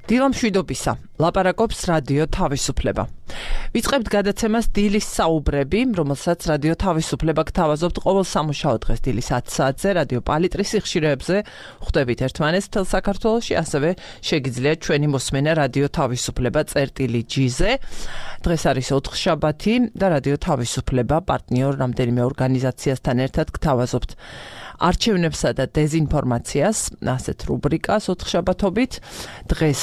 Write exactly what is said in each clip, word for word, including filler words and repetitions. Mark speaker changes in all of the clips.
Speaker 1: დილამშვიდობისა, ლაპარაკობს რადიო თავისუფლება. ვიწყებთ გადაცემას დილის საუბრები, რომელსაც რადიო თავისუფლება გთავაზობთ ყოველ სამუშაო დღეს დილის ათი საათზე რადიო პალიტრის სიხშირეებზე. ხვდებით ერთმანეთს მთელ საქართველოში, ასევე შეგიძლიათ ჩვენი მოსმენა რადიო თავისუფლება წერტილი ჯი-ზე. დღეს არის ოთხშაბათი და რადიო თავისუფლება პარტნიორ რამდენიმე ორგანიზაციასთან ერთად გთავაზობთ არჩევნებსა და დეზინფორმაციას, ასეთ რუბრიკას ოთხშაბათობით. დღეს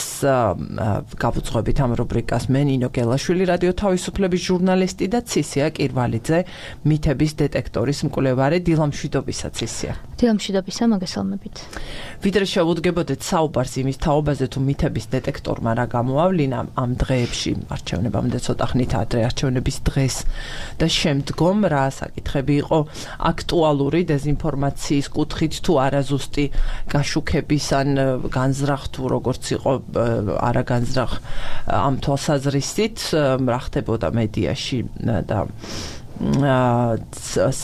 Speaker 1: გავუძღვებით ამ რუბრიკას მე ნინო გელაშვილი, რადიო თავისუფლების ჟურნალისტი და ცისია კირვალიძე, მითების დეტექტორის მკვლევარი. დილამშვიდობისა ცისია.
Speaker 2: დილამშვიდობისა, მოგესალმებით.
Speaker 1: ვიდრე შევუდგებოდეთ საუბარს იმის თაობაზე, თუ მითების დეტექტორმა რა გამოავლინა ამ დღეებში, არჩევნებამდე ცოტა ხნით ადრე, არჩევნების დღეს და შემდგომ რა საკითხები იყო აქტუალური დეზინფორმაციის კუთხით თუ არაზუსტი გაშუქების ან განზრახ თუ როგორც იყო არაგანზრახ ამ თვალსაზრისით რა ხდებოდა მედიაში და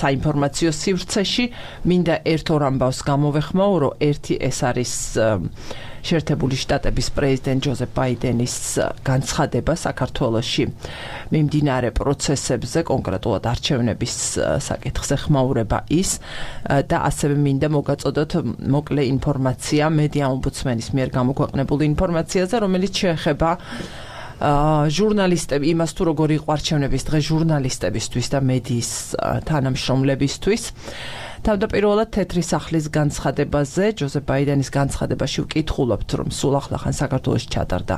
Speaker 1: საინფორმაციო სივრცეში. მინდა ერთ ორ ამბავს გამოვეხმაურო. ერთი ეს არის შეერთებული შტატების პრეზიდენტ ჯოზეფ ბაიდენის განცხადება საქართველოში მიმდინარე პროცესებზე, კონკრეტულად არჩევნების საკითხზე ხმაურება ის და ასევე მინდა მოგაწოდოთ მოკლე ინფორმაცია მედია ომბუდსმენის მიერ გამოქვეყნებული ინფორმაციაზე, რომელიც შეეხება ჟურნალისტები, იმას თუ როგორი იყო არჩევნების დღე ჟურნალისტებისთვის და მედიის თანამშრომლებისთვის. თავდაპირველად თეთრი სახლის განცხადებაზე, ჯოზეფ ბაიდენის განცხადებაში ვკითხულობთ, რომ სულ ახლახან საქართველოში ჩატარდა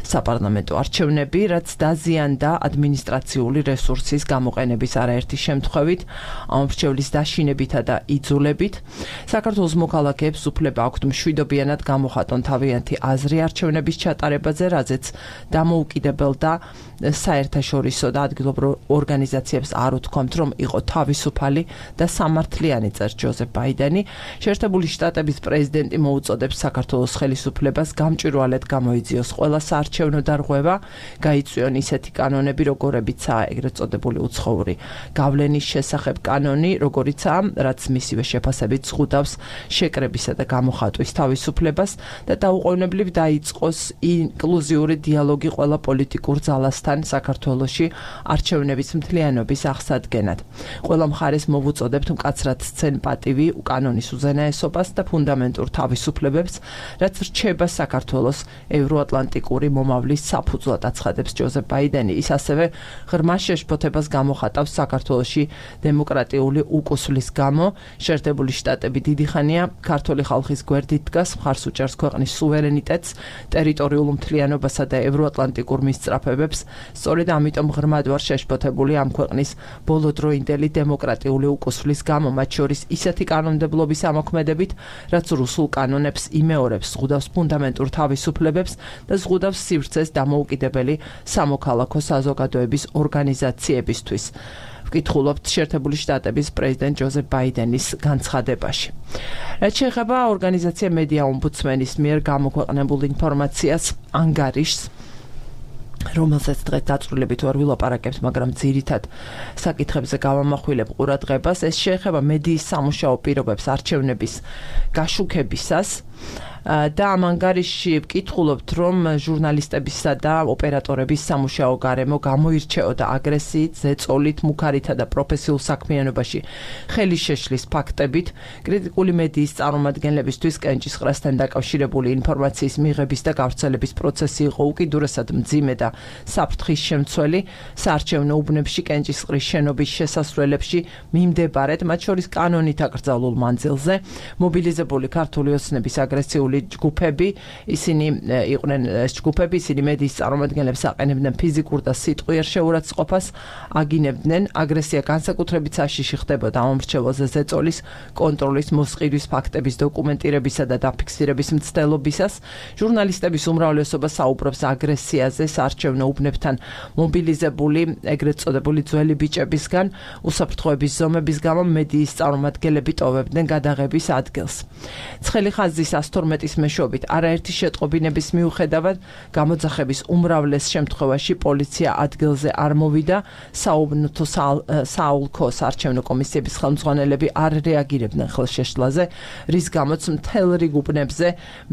Speaker 1: საპარლამენტო არჩევნები, რაც დაზიანდა ადმინისტრაციული რესურსის გამოყენების არაერთი შემთხვევით, ამორჩევლის დაშინებითა და იძულებით. საქართველოს მოქალაქეებს უფლება აქვთ მშვიდობიანად გამოხატონ თავიანთი აზრი არჩევნების ჩატარებაზე, რაზეც დამოუკიდებელ და საერთაშორისო და ადგილობრივ ორგანიზაციებს არ უთქვამთ, რომ იყო თავისუფალი და სამართლიანი, წერს ჯოზეფ ბაიდენი. შეერთებული შტატების პრეზიდენტი მოუწოდებს საქართველოს ხელისუფლებას გამჭვირვალედ გამოიძიოს ყველა საარჩევნო დარღვევა, გაიწვიონ ისეთი კანონები, როგორებიცაა ეგრეთ წოდებული უცხოური გავლენის შესახებ კანონი, როგორიცაა, რაც მისივე შეფასებით ზღუდავს შეკრებისა და გამოხატვის თავისუფლებას და დაუყოვნებლივ დაიწყოს ინკლუზიური დიალოგი ყველა პოლიტიკურ ძალასთან საქართველოში არჩევნების მთლიანობის აღსადგენად. ყველა მხარეს მოვუწოდებთ მკაცრად სცენ პატივი კანონის უზენაესობას და ფუნდამენტურ თავისუფლებებს, რაც რჩება საქართველოს ევროატლანტიკური მომავლის საფუძვლად, აცხადებს ჯოზეფ ბაიდენი. ის ასევე ღრმა შეშფოთებას გამოხატავს საქართველოში დემოკრატიული უკუსვლის გამო. შეერთებული შტატები დიდი ხანია ქართული ხალხის გვერდით დგას, მხარს უჭერს ქვეყნის სუვერენიტეტს, ტერიტორიულ მთლიანობასა და ევროატლანტიკურ მისწრაფებებს. სწორედ ამიტომ ღრმად ვარ შეშფოთებული ამ ქვეყნის ბოლოდროინდელი დემოკრატიული უკუსვლის გამო, მათ შორის ისეთი კანონმდებლობის ამოქმედებით, რაც რუსულ კანონებს იმეორებს, ზღუდავს ფუნდამენტურ თავისუფლებებს და ზღუდავს სივრცეს დამოუკიდებელი სამოქალაქო საზოგადოების ორგანიზაციებისთვის. ვკითხულობთ შეერთებული შტატების პრეზიდენტ ჯოზეფ ბაიდენის განცხადებაში. რაც შეეხება ორგანიზაცია მედია ომბუდსმენის მიერ გამოქვეყნებულ ინფორმაციას, ანგარიშს, რომელსაც დღეს დაწვრილებით ვერ ვილაპარაკებთ, მაგრამ ძირითად საკითხებზე გავამახვილებ ყურადღებას. ეს შეეხება მედიის სამუშაო პირობებს არჩევნების გაშუქებისას და ამ ანგარიშში ვკითხულობთ, რომ ჟურნალისტებისა და ოპერატორების სამუშაო გარემო გამოირჩეოდა აგრესიით, ზეწოლით, მუქარითა და პროფესიულ საქმიანობაში ხელი შეშლის ფაქტებით. კრიტიკული მედიის წარმომადგენლებისთვის კენჭისყრასთან დაკავშირებული ინფორმაციის მიღების და გავრცელების პროცესი იყო უკიდურესად მძიმე და საფრთხის შემცველი. საარჩევნო უბნებში კენჭისყრის შენობის შესასვლელებში მიმდებარედ, მათ შორის კანონით აკრძალულ მანძილზე, მობილიზებული ქართული ოცნების აგრესიული ჯგუფები, ისინი იყვნენ ეს ჯგუფები, ისინი მედიის წარმომადგენლებს აყენებდნენ ფიზიკურ და სიტყვიერ შეურაცხყოფას, აგინებდნენ. აგრესია განსაკუთრებით საშიში ხდებოდა ამომრჩეველზე ზეწოლის, კონტროლის, მოსყიდვის ფაქტების დოკუმენტირებისა და დაფიქსირების მცდელობისას. ჟურნალისტების უმრავლესობა საუბრობს აგრესიაზე საარჩევნო უბნებთან მობილიზებული ეგრეთ წოდებული ძველი ბიჭებისგან. უსაფრთხოების ზომების გამო მედიის წარმომადგენლები ტოვებდნენ გადაღების ადგილს. ცხელი ხაზის ათორმეტი ექსპერტის მეშვეობით არაერთი შეტყობინების მიუხედავად გამოძახების უმრავლეს შემთხვევაში პოლიცია ადგილზე არ მოვიდა, საუბნოთო საოლქო საარჩევნო კომისიების ხელმძღვანელები არ რეაგირებდნენ ხელშეშლაზე, რის გამოც მთელ რიგ უბნებზე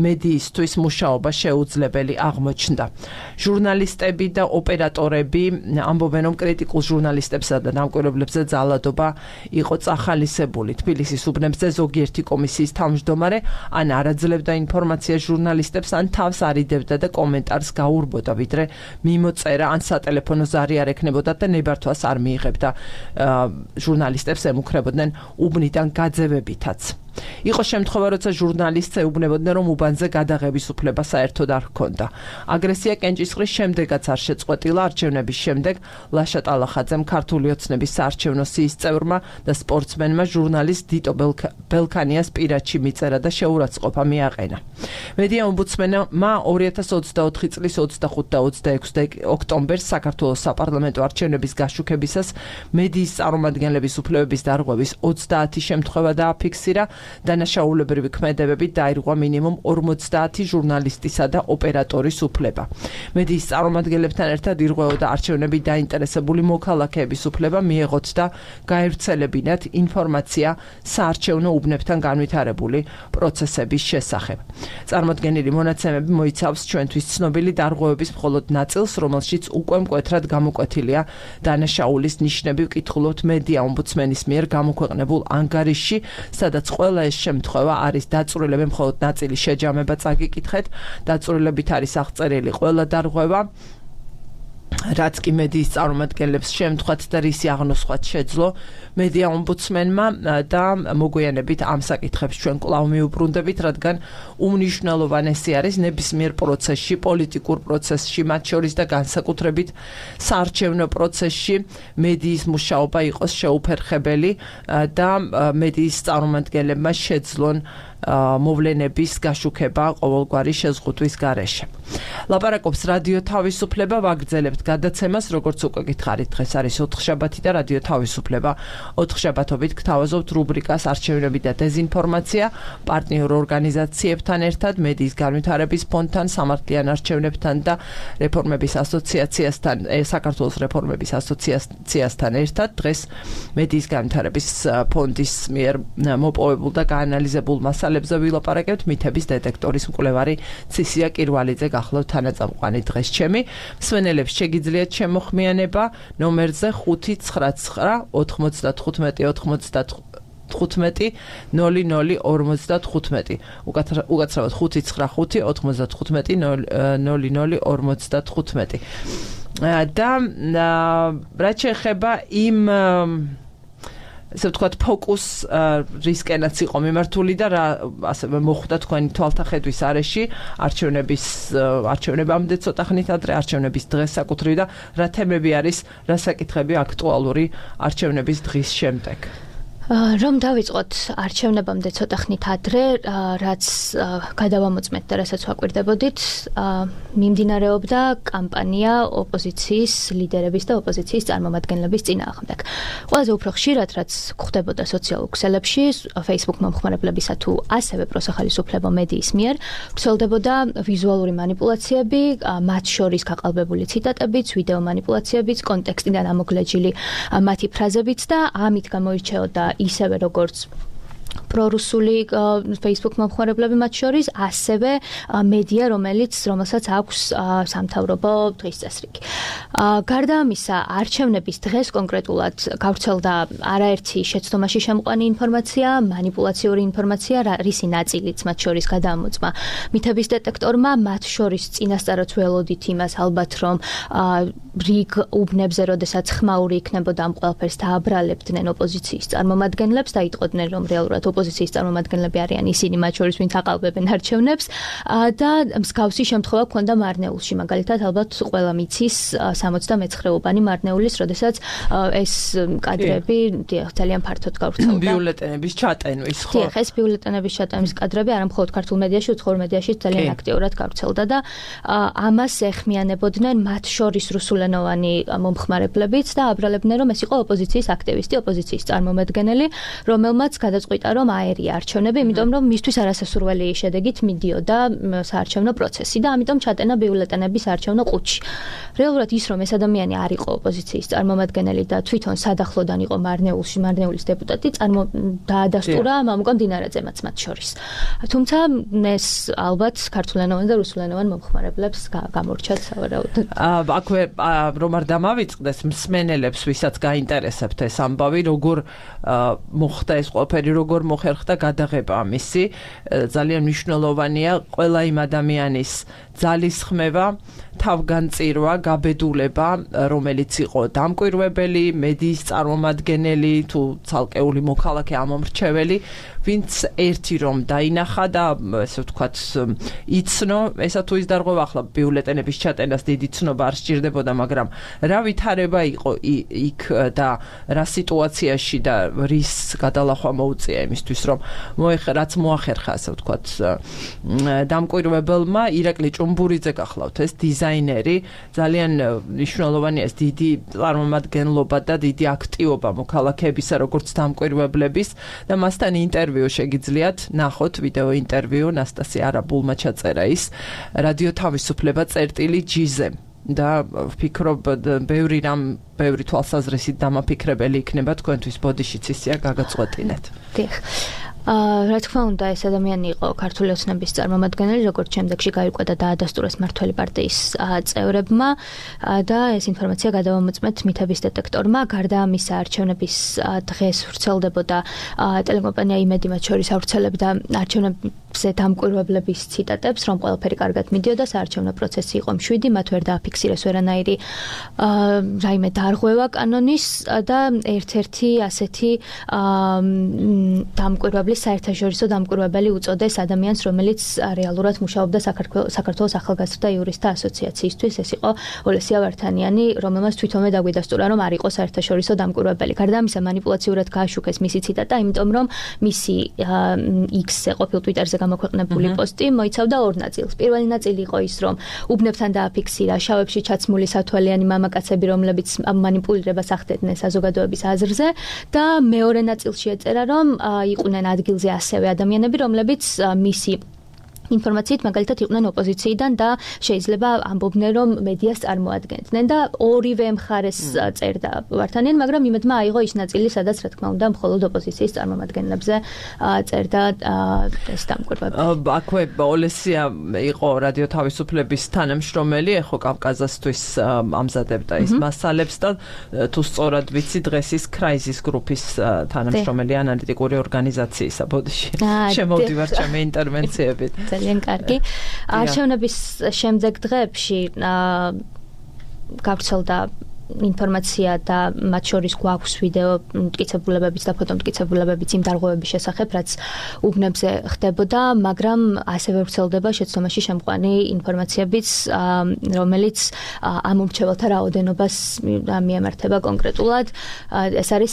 Speaker 1: მედიისთვის მუშაობა შეუძლებელი აღმოჩნდა. ჟურნალისტები და ოპერატორები ამბობენ, რომ კრიტიკულ ჟურნალისტებსა და დამკვირვებლებზე ძალადობა იყო წახალისებული. თბილისის უბნებზე ზოგიერთი კომისიის თავმჯდომარე ან არაძლებდა ინფორმაციას ჟურნალისტებს, ან თავს არიდებდა და კომენტარს გაურბოდა, ვიდრე მიმოწერა ან სატელეფონო ზარი არ ექნებოდა და ნებართვას არ მიიღებდა. ჟურნალისტებს ემუქრებოდნენ უბნიდან გაძევებითაც. იყო შემთხვევა, როცა ჟურნალისტს ეუბნებოდნენ, რომ უბანზე გადაღების უფლება საერთოდ არ ჰქონდა. აგრესია კენჭისყრის შემდეგაც არ შეწყვეტილა. არჩევნების შემდეგ ლაშა ტალახაძემ ქართული ოცნების საარჩევნო სიის წევრმა და სპორტსმენმა ჟურნალისტ დიტო ბელქანიას პირადში მიწერა და შეურაცხყოფა მიაყენა. მედია ომბუდსმენმა ორი ათას ოცდაოთხი წლის ოცდახუთ და ოცდაექვსი ოქტომბერს საქართველოს საპარლამენტო არჩევნების გაშუქებისას მედიის წარმომადგენლების უფლებების დარღვევის ოცდაათი შემთხვევა დააფიქსირა. დანაშაულებრივი ქმედებებით დაირღვა მინიმუმ ორმოცდაათი ჟურნალისტისა და ოპერატორის უფლება. მედიის წარმომადგენლებთან ერთად ირღვეოდა არჩევნებით დაინტერესებული მოქალაქეების უფლება მიეღოთ და გაევრცელებინათ ინფორმაცია საარჩევნო უბნებთან განვითარებული პროცესების შესახებ. წარმოდგენილი მონაცემები მოიცავს ჩვენთვის ცნობილი დარღვევების მხოლოდ ნაწილს, რომელშიც უკვე მკვეთრად გამოკვეთილია დანაშაულის ნიშნები. ვკითხულობთ მედია ომბუდსმენის მიერ გამოქვეყნებულ ანგარიშში, სადაც ყველა ეს შემთხვევა არის დაწვრილები, მხოლოდ ნაწილი შეჯამება წაგიკითხეთ. დაწვრილებით არის აღწერილი ყველა დარღვევა, რაც კი მედიის წარმომადგენლებს შემთხვევით და რისი აღნოსხვაც შეძლო. მედია ომბუდსმენმა და მოგვიანებით ამ საკითხებს ჩვენ კვლავ მიუბრუნდებით, რადგან უმნიშვნელოვანესი არის ნებისმიერ პროცესში, პოლიტიკურ პროცესში, მათ შორის და განსაკუთრებით საარჩევნო პროცესში მედიის მუშაობა იყოს შეუფერხებელი და მედიის წარმომადგენლებმა შეძლონ მოვლენების გაშუქება ყოველგვარი შეზღუდვის გარეშე. ლაპარაკობს რადიო თავისუფლება, ვაგრძელებთ გადაცემას, როგორც უკვე გითხარით, დღეს არის ოთხშაბათი და რადიო თავისუფლება. ოთხშაბათობით გთავაზობთ რუბრიკას არჩევნები და დეზინფორმაცია, პარტნიორ ორგანიზაციებთან ერთად, მედიის განვითარების ფონდთან, სამართლიან არჩევნებთან და რეფორმების ასოციაციასთან, საქართველოს რეფორმების ასოციაციასთან ერთად. დღეს მედიის განვითარების ფონდის მიერ მოპოვებულ და გაანალიზებულ მასალებზე ვილაპარაკებთ. მითების დეტექტორის მკვლევარი ცისია კირვალიძე გახლავთ თანაწამყვანი დღეს ჩემი. მსმენელებს შეგიძლიათ შემოხმიანება ნომერზე ხუთი ცხრა ცხრა ოთხმოცდათხუთმეტი ოთხმოცდათხუთმეტი ნული ნული ორმოცდათხუთმეტი. უკაცრავად ხუთი ცხრა ხუთი ოთხმოცდათხუთმეტი ნული ნული ორმოცდათხუთმეტი. და რაც შეეხება იმ ესე ვთქვათ ფოკუს რისკენაც იყო მიმართული და რა ასევე მოხვდა თქვენი თვალთახედვის არეში არჩევნების არჩევნებამდე ცოტა ხნით ადრე არჩევნების დღეს საკუთრივ და რა თემები არის, რა საკითხები აქტუალური არჩევნების დღის შემდეგ.
Speaker 2: რომ დავიწყოთ არჩევნებამდე ცოტა ხნით ადრე, რაც გადავამოწმეთ და რასაც ვაკვირდებოდით, მიმდინარეობდა კამპანია ოპოზიციის ლიდერების და ოპოზიციის წარმომადგენლების წინააღმდეგ. ყველაზე უფრო ხშირად, რაც გვხდებოდა სოციალურ ქსელებში, Facebook მომხმარებლებისა თუ ასევე პროსახალისუფლებო მედიის მიერ, ვრცელდებოდა ვიზუალური манипуляციები, მათ შორის გაყალბებული ციტატებიც, ვიდეო манипуляციებიც, კონტექსტიდან ამოგლეჯილი მათი ფრაზებიც და ამით გამოირჩეოდა ისევე როგორც პრორუსული Facebook მომხმარებლები მათ შორის, ასევე მედია, რომელიც რომელსაც აქვს სამთავრობო დღის წესრიგი. გარდა ამისა, არჩევნების დღეს კონკრეტულად გავრცელდა არაერთი შეცდომაში შემყვანი ინფორმაცია, манипуляციური ინფორმაცია, რისი ნაწილიც მათ შორის გადამოწმა მითების დეტექტორმა, მათ შორის წინასწარაც ველოდით იმას ალბათ, რომ რიგ უბნებზე, როდესაც ხმაური იქნებოდა ამ ყველაფერს დააბრალებდნენ ოპოზიციის წარმომადგენლებს და იტყოდნენ, რომ რეალურად ოპოზიციის წარმომადგენლები არიან ისინი, მათ შორის ვინც აყალბებენ არჩევნებს და მსგავსი შემთხვევა ჰქონდა მარნეულში. მაგალითად, ალბათ ყველა მიცის სამოცდამეცხრეობანი მარნეულის, როდესაც ეს კადრები ძალიან ფართოდ გავრცელდა.
Speaker 1: ბიულეტენების ჩატენვის, ხო?
Speaker 2: დიახ, ეს ბიულეტენების ჩატენვის კადრები არა მხოლოდ ქართულ მედიაში, უცხოურ მედიაში ძალიან აქტიურად გავრცელდა და ამას ეხმიანებოდნენ მათ შორის რუსულენოვანი მომხმარებლებიც და აბრალებდნენ, რომ ეს იყო ოპოზიციის აქტივისტი, ოპოზიციის წარმომადგენელი, რომელმაც გადაწყვიტა, რომ აერია არჩევნები, იმიტომ რომ მისთვის არასასურველი შედეგით მიდიოდა საარჩევნო პროცესი და ამიტომ ჩატენა ბიულეტენების საარჩევნო ყუთში. რეალურად ის რომ ეს ადამიანი არ იყო ოპოზიციის წარმომადგენელი და თვითონ სადახლოდან იყო მარნეულში, მარნეულის დეპუტატი, წარმო დაადასტურა მამუკა მდინარაძემაც მათ შორის. თუმცა ეს ალბათ ქართულენოვან და რუსულენოვან მომხმარებლებს გამორჩათ სავარაუდოდ.
Speaker 1: აქვე რომ არ დამავიწყდეს მსმენელებს, ვისაც გაინტერესებთ ეს ამბავი, როგორ მოხდა ეს ყველაფერი, როგორ მოხერხდა გადაღება ამისი, ძალიან მნიშვნელოვანია ყველა იმ ადამიანის ძალისხმევა, თავგანწირვა, გაბედულება, რომელიც იყო დამკვირვებელი, მედიის წარმომადგენელი თუ ცალკეული მოქალაქე ამომრჩეველი, ვინც ერთი რომ დაინახა და ესე ვთქვათ იცნო, ესა თუ ის დარღვევა ახლა ბიულეტენების ჩატენას დიდი ცნობა არ სჭირდებოდა, მაგრამ რა ვითარება იყო იქ და რა სიტუაციაში და რის გადალახვა მოუწია იმისთვის, რომ მოეხერაც მოახერხა, ასე ვთქვათ, დამკვირვებელმა ირაკლი ჭუმბურიძე გახლავთ ეს დიზაინერი, ძალიან მნიშვნელოვანია ეს დიდი წარმომადგენლობა და დიდი აქტივობა მოქალაქეებისა, როგორც დამკვირვებლების და მასთან ინტერვიუ შეგიძლიათ ნახოთ, ვიდეო ინტერვიუ ნასტასია არაბულმა ჩაწერა ის რადიო თავისუფლება წერტილი ჯიზე და ვფიქრობ ბევრი რამ ბევრი თვალსაზრისით დამაფიქრებელი იქნება თქვენთვის ბოდიშიც ისია გაგაწყვეტინეთ.
Speaker 2: დიახ. რა თქმა უნდა, ეს ადამიანი იყო ქართული ოცნების წარმომადგენელი, როგორც შემდეგში გაირკვა და დაადასტურეს მმართველი პარტიის წევრებმა და ეს ინფორმაცია გადავამოწმეთ მითების დეტექტორმა. გარდა ამისა, არჩევნების დღეს ვრცელდებოდა ტელეკომპანია იმედი მათ შორის ავრცელებდა არჩევნებზე დამკვირვებლების ციტატებს, რომ ყველაფერი კარგად მიდიოდა, საარჩევნო პროცესი იყო მშვიდი, მათ ვერ დააფიქსირეს ვერანაირი რაიმე დარღვევა კანონის და ერთ-ერთი ასეთი დამკვირვებლი საერთაშორისო დამკვირვებელი უწოდეს ადამიანს, რომელიც რეალურად მუშაობდა საქართველოს ახალგაზრდა იურისტთა ასოციაციისთვის. ეს იყო ოლესია ვართანიანი, რომელმაც თვითონვე დაგვიდასტურა, რომ არ იყო საერთაშორისო დამკვირვებელი. გარდა ამისა, მანიპულაციურად გააშუქეს მისი ციტატა, იმიტომ რომ მისი X-ზე ყოფილ Twitter-ზე გამოქვეყნებული პოსტი მოიცავდა ორ ნაწილს. პირველი ნაწილი იყო ის, რომ უბნებთან დააფიქსირა შავებში ჩაცმული სათვალიანი მამაკაცები, რომლებიც მანიპულირებას ახდედნენ საზოგადოების აზრზე და მეორე ნაწილში ეწერა, რომ იყვნენ ადგილზე ასევე ადამიანები, რომლებიც მისი ინფორმაციით მაგალითად იყვნენ ოპოზიციიდან და შეიძლება ამბობდნენ, რომ მედიას წარმოადგენდნენ და ორივე მხარეს წერდა ვართანიანი, მაგრამ იმედმა აიღო ის ნაწილი, სადაც რა თქმა უნდა მხოლოდ ოპოზიციის წარმომადგენლებზე წერდა ეს დამკვირვებელი.
Speaker 1: აქვე ოლესია იყო რადიო თავისუფლების თანამშრომელი, ეხო კავკაზასთვის ამზადებდა ის მასალებს და თუ სწორად ვიცი, დღეს ის კრაიზის გრუპის თანამშრომელი ანალიტიკური ორგანიზაციისა ბოდიში. შემოვდივარ ჩემი ინტერვენციებით.
Speaker 2: ძალიან კარგი. არჩევნების შემდეგ დღეებში გავრცელდა ინფორმაცია და მათ შორის გვაქვს ვიდეო მტკიცებულებებიც და ფოტომტკიცებულებებიც იმ დარღვევების შესახებ, რაც უბნებზე ხდებოდა, მაგრამ ასევე ვრცელდება შეცდომაში შემყვანი ინფორმაციებიც, რომელიც ამომრჩეველთა რაოდენობას მიემართება კონკრეტულად. ეს არის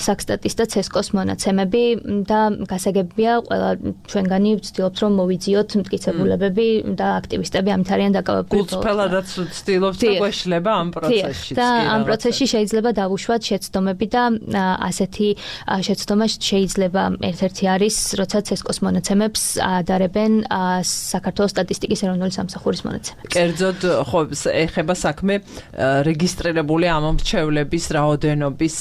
Speaker 2: საქსტატის და ცესკოს მონაცემები და გასაგებია, ყველა ჩვენგანი ვცდილობთ, რომ მოვიძიოთ მტკიცებულებები და აქტივისტები ამით არიან დაკავებული.
Speaker 1: გულწრფელადაც ვცდილობთ და გვეშლება ამ პროცესში.
Speaker 2: ამ პროცესში შეიძლება დავუშვათ შეცდომები და ასეთი შეცდომა შეიძლება ერთ-ერთი არის, როცა ცესკოს მონაცემებს ადარებენ საქართველოს სტატისტიკის ეროვნული სამსახურის მონაცემებს.
Speaker 1: კერძოდ, ხო, ეხება საქმე რეგისტრირებული ამომრჩევლების რაოდენობის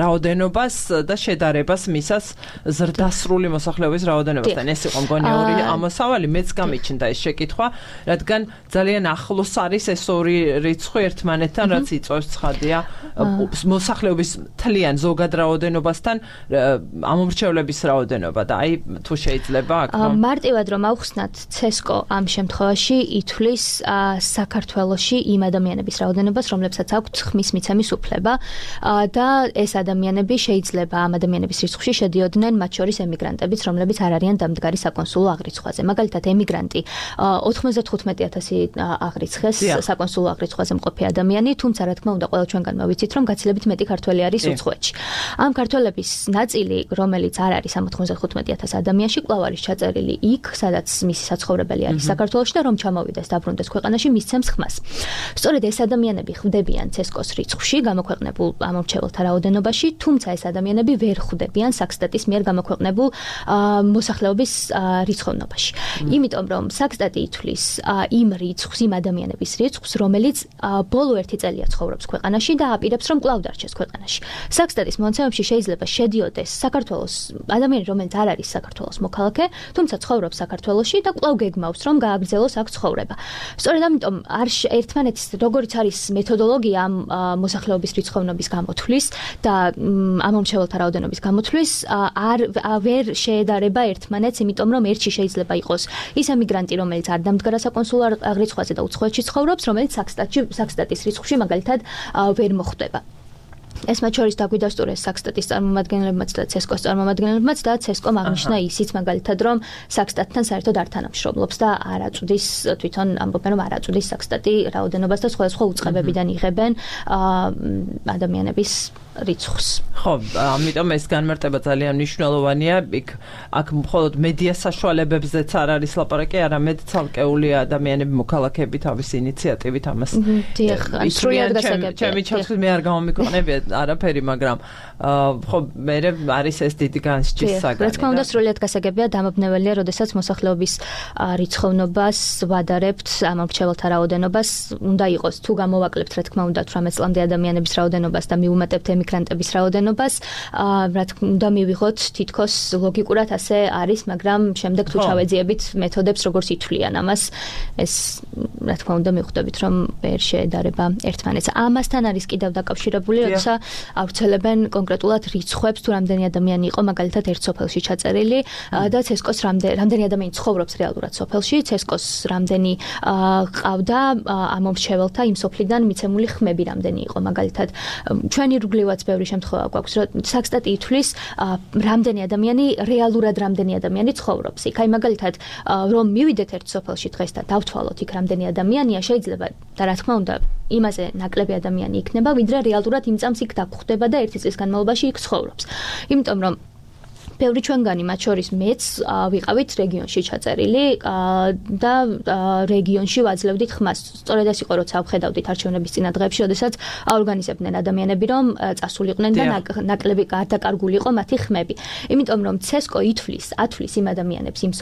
Speaker 1: რაოდენობას და შედარებას მისას ზრდასრული მოსახლეობის რაოდენობასთან. ეს იყო მგონი ორი ამოსავალი, მეც გამიჩნდა ეს შეკითხვა, რადგან ძალიან ახლოს არის ეს ორი რიცხვი ერთმანეთთან, რაც იწვევს ცხადია მოსახლეობის თლიან ზოგად რაოდენობასთან ამომრჩევლების რაოდენობა და აი თუ შეიძლება აქ
Speaker 2: მარტივად რომ ავხსნათ, ცესკო ამ შემთხვევაში ითვლის საქართველოში იმ ადამიანების რაოდენობას, რომლებსაც აქვთ ხმის მიცემის უფლება და ეს ადამიანები შეიძლება ამ ადამიანების რიცხვში შედიოდნენ მათ შორის ემიგრანტებიც, რომლებიც არ არიან დამდგარი საკონსულო აღრიცხვაზე. მაგალითად, ემიგრანტი ოცდათხუთმეტი ათასი აღრიცხეს საკონსულო აღრიცხვაზე მყოფი ადამიანი, თუმცა რა თქმა უნდა, ყველა ჩვენგანმა ვიცით, რომ გაცილებით მეტი ქართველი არის უცხოეთში. ამ ქართველების ნაწილი, რომელიც არ არის ამ ოცდახუთმეტი ათას ადამიანში, კვლავ არის ჩაწერილი იქ, სადაც მისი საცხოვრებელი არის საქართველოში და რომ ჩამოვიდეს დაბრუნდეს ქვეყანაში, მისცემს ხმას. სწორედ ეს ადამიანები ხვდებიან ცესკოს რიცხვში გამოქვეყნებულ ამორჩეველთა რაოდენობაში, თუმცა ეს ადამიანები ვერ ხვდებიან საქსტატის მიერ გამოქვეყნებულ მოსახლეობის რიცხვოვნობაში. იმიტომ რომ საქსტატი ითვლის იმ რიცხვს, იმ ადამიანების რიცხვს, რომელიც ბოლო ერთი წელია ცხოვრობს ქვეყანაში და აპირებს რომ კვლავ დარჩეს ქვეყანაში. საქსტატის მონაცემებში შეიძლება შედიოდეს საქართველოს ადამიანი, რომელიც არ არის საქართველოს მოქალაქე, თუმცა ცხოვრობს საქართველოში და კვლავ გეგმავს რომ გააგრძელოს აქ ცხოვრება. სწორედ ამიტომ არ ერთმანეთის როგორიც არის მეთოდოლოგია ამ მოსახლეობის რიცხვოვნობის გამოთვლის და ამომრჩეველთა რაოდენობის გამოთვლის არ ვერ შეედარება ერთმანეთს, იმიტომ რომ ერთში შეიძლება იყოს ის ემიგრანტი, რომელიც არ დამდგარა საკონსულარ რიცხვაზე და უცხოეთში ცხოვრობს, რომელიც საქსტატში საქსტატის რიცხვში მაგალითად ვერ მოხვდება. ეს მათ შორის დაგვიდასტურეს საქსტატის წარმომადგენლებმაც და ცესკოს წარმომადგენლებმაც და ცესკომ აღნიშნა ისიც მაგალითად რომ საქსტატთან საერთოდ არ თანამშრომლობს და არ აწვდის თვითონ ამბობენ რომ არ აწვდის საქსტატი რაოდენობას და სხვა სხვა უწყებებიდან იღებენ ადამიანების რიცხვს.
Speaker 1: ხო, ამიტომ ეს განმარტება ძალიან მნიშვნელოვანია. იქ აქ მხოლოდ მედია საშუალებებზეც არ არის ლაპარაკი, არამედ ცალკეული ადამიანები მოქალაქეები თავის ინიციატივით ამას.
Speaker 2: დიახ, სრულად გასაგებია.
Speaker 1: ჩემი ჩათვლით მე არ გამომიკრონებია არაფერი, მაგრამ ხო მე არის ეს დიდი განსჯის საგანი.
Speaker 2: რა თქმა უნდა, სრულად გასაგებია, დამაბნეველია, როდესაც მოსახლეობის რიცხვოვნობას ვადარებთ ამორჩეველთა რაოდენობას, უნდა იყოს თუ გამოვაკლებთ, რა თქმა უნდა, თვრამეტ წლამდე ადამიანების რაოდენობას და მიუმატებთ ემიგრანტების რაოდენობას, რა თქმა უნდა, მივიღოთ თითქოს ლოგიკურად ასე არის, მაგრამ შემდეგ თუ ჩავეძიებით მეთოდებს, როგორც ითვლიან ამას, ეს რა თქმა უნდა მიხვდებით, რომ ვერ შეედარება ერთმანეთს. ამასთან არის კიდევ დაკავშირებული, როცა ავრცელებენ კონკრეტულად რიცხვებს, თუ რამდენი ადამიანი იყო მაგალითად ერთ სოფელში ჩაწერილი და ცესკოს რამდენი ადამიანი ცხოვრობს რეალურად სოფელში, ცესკოს რამდენი ყავდა ამომრჩეველთა იმ სოფლიდან მიცემული ხმები რამდენი იყო მაგალითად. ჩვენი რუგლივაც ბევრი შემთხვევა გვაქვს, რომ საქსტატი ითვლის რამდენი ადამიანი რეალურად რამდენი ადამიანი ცხოვრობს იქ. აი მაგალითად რომ მივიდეთ ერთ სოფელში დღეს და დავთვალოთ იქ რამდენი ადამიანია, შეიძლება და რა თქმა უნდა იმაზე ნაკლები ადამიანი იქნება, ვიდრე რეალურად იმ წამს იქ დაგხვდება და ერთი წლის განმავლობაში იქ ცხოვრობს. იმიტომ რომ ბევრი ჩვენგანი, მათ შორის მეც ვიყავით რეგიონში ჩაწერილი და რეგიონში ვაძლევდით ხმას. სწორედ ეს იყო, როცა ვხედავდით არჩევნების წინა დღეებში, როდესაც აორგანიზებდნენ ადამიანები, რომ წასულიყვნენ და ნაკლები გარდაკარგული იყო მათი ხმები. იმიტომ რომ ცესკო ითვლის, ათვლის იმ ადამიანებს იმ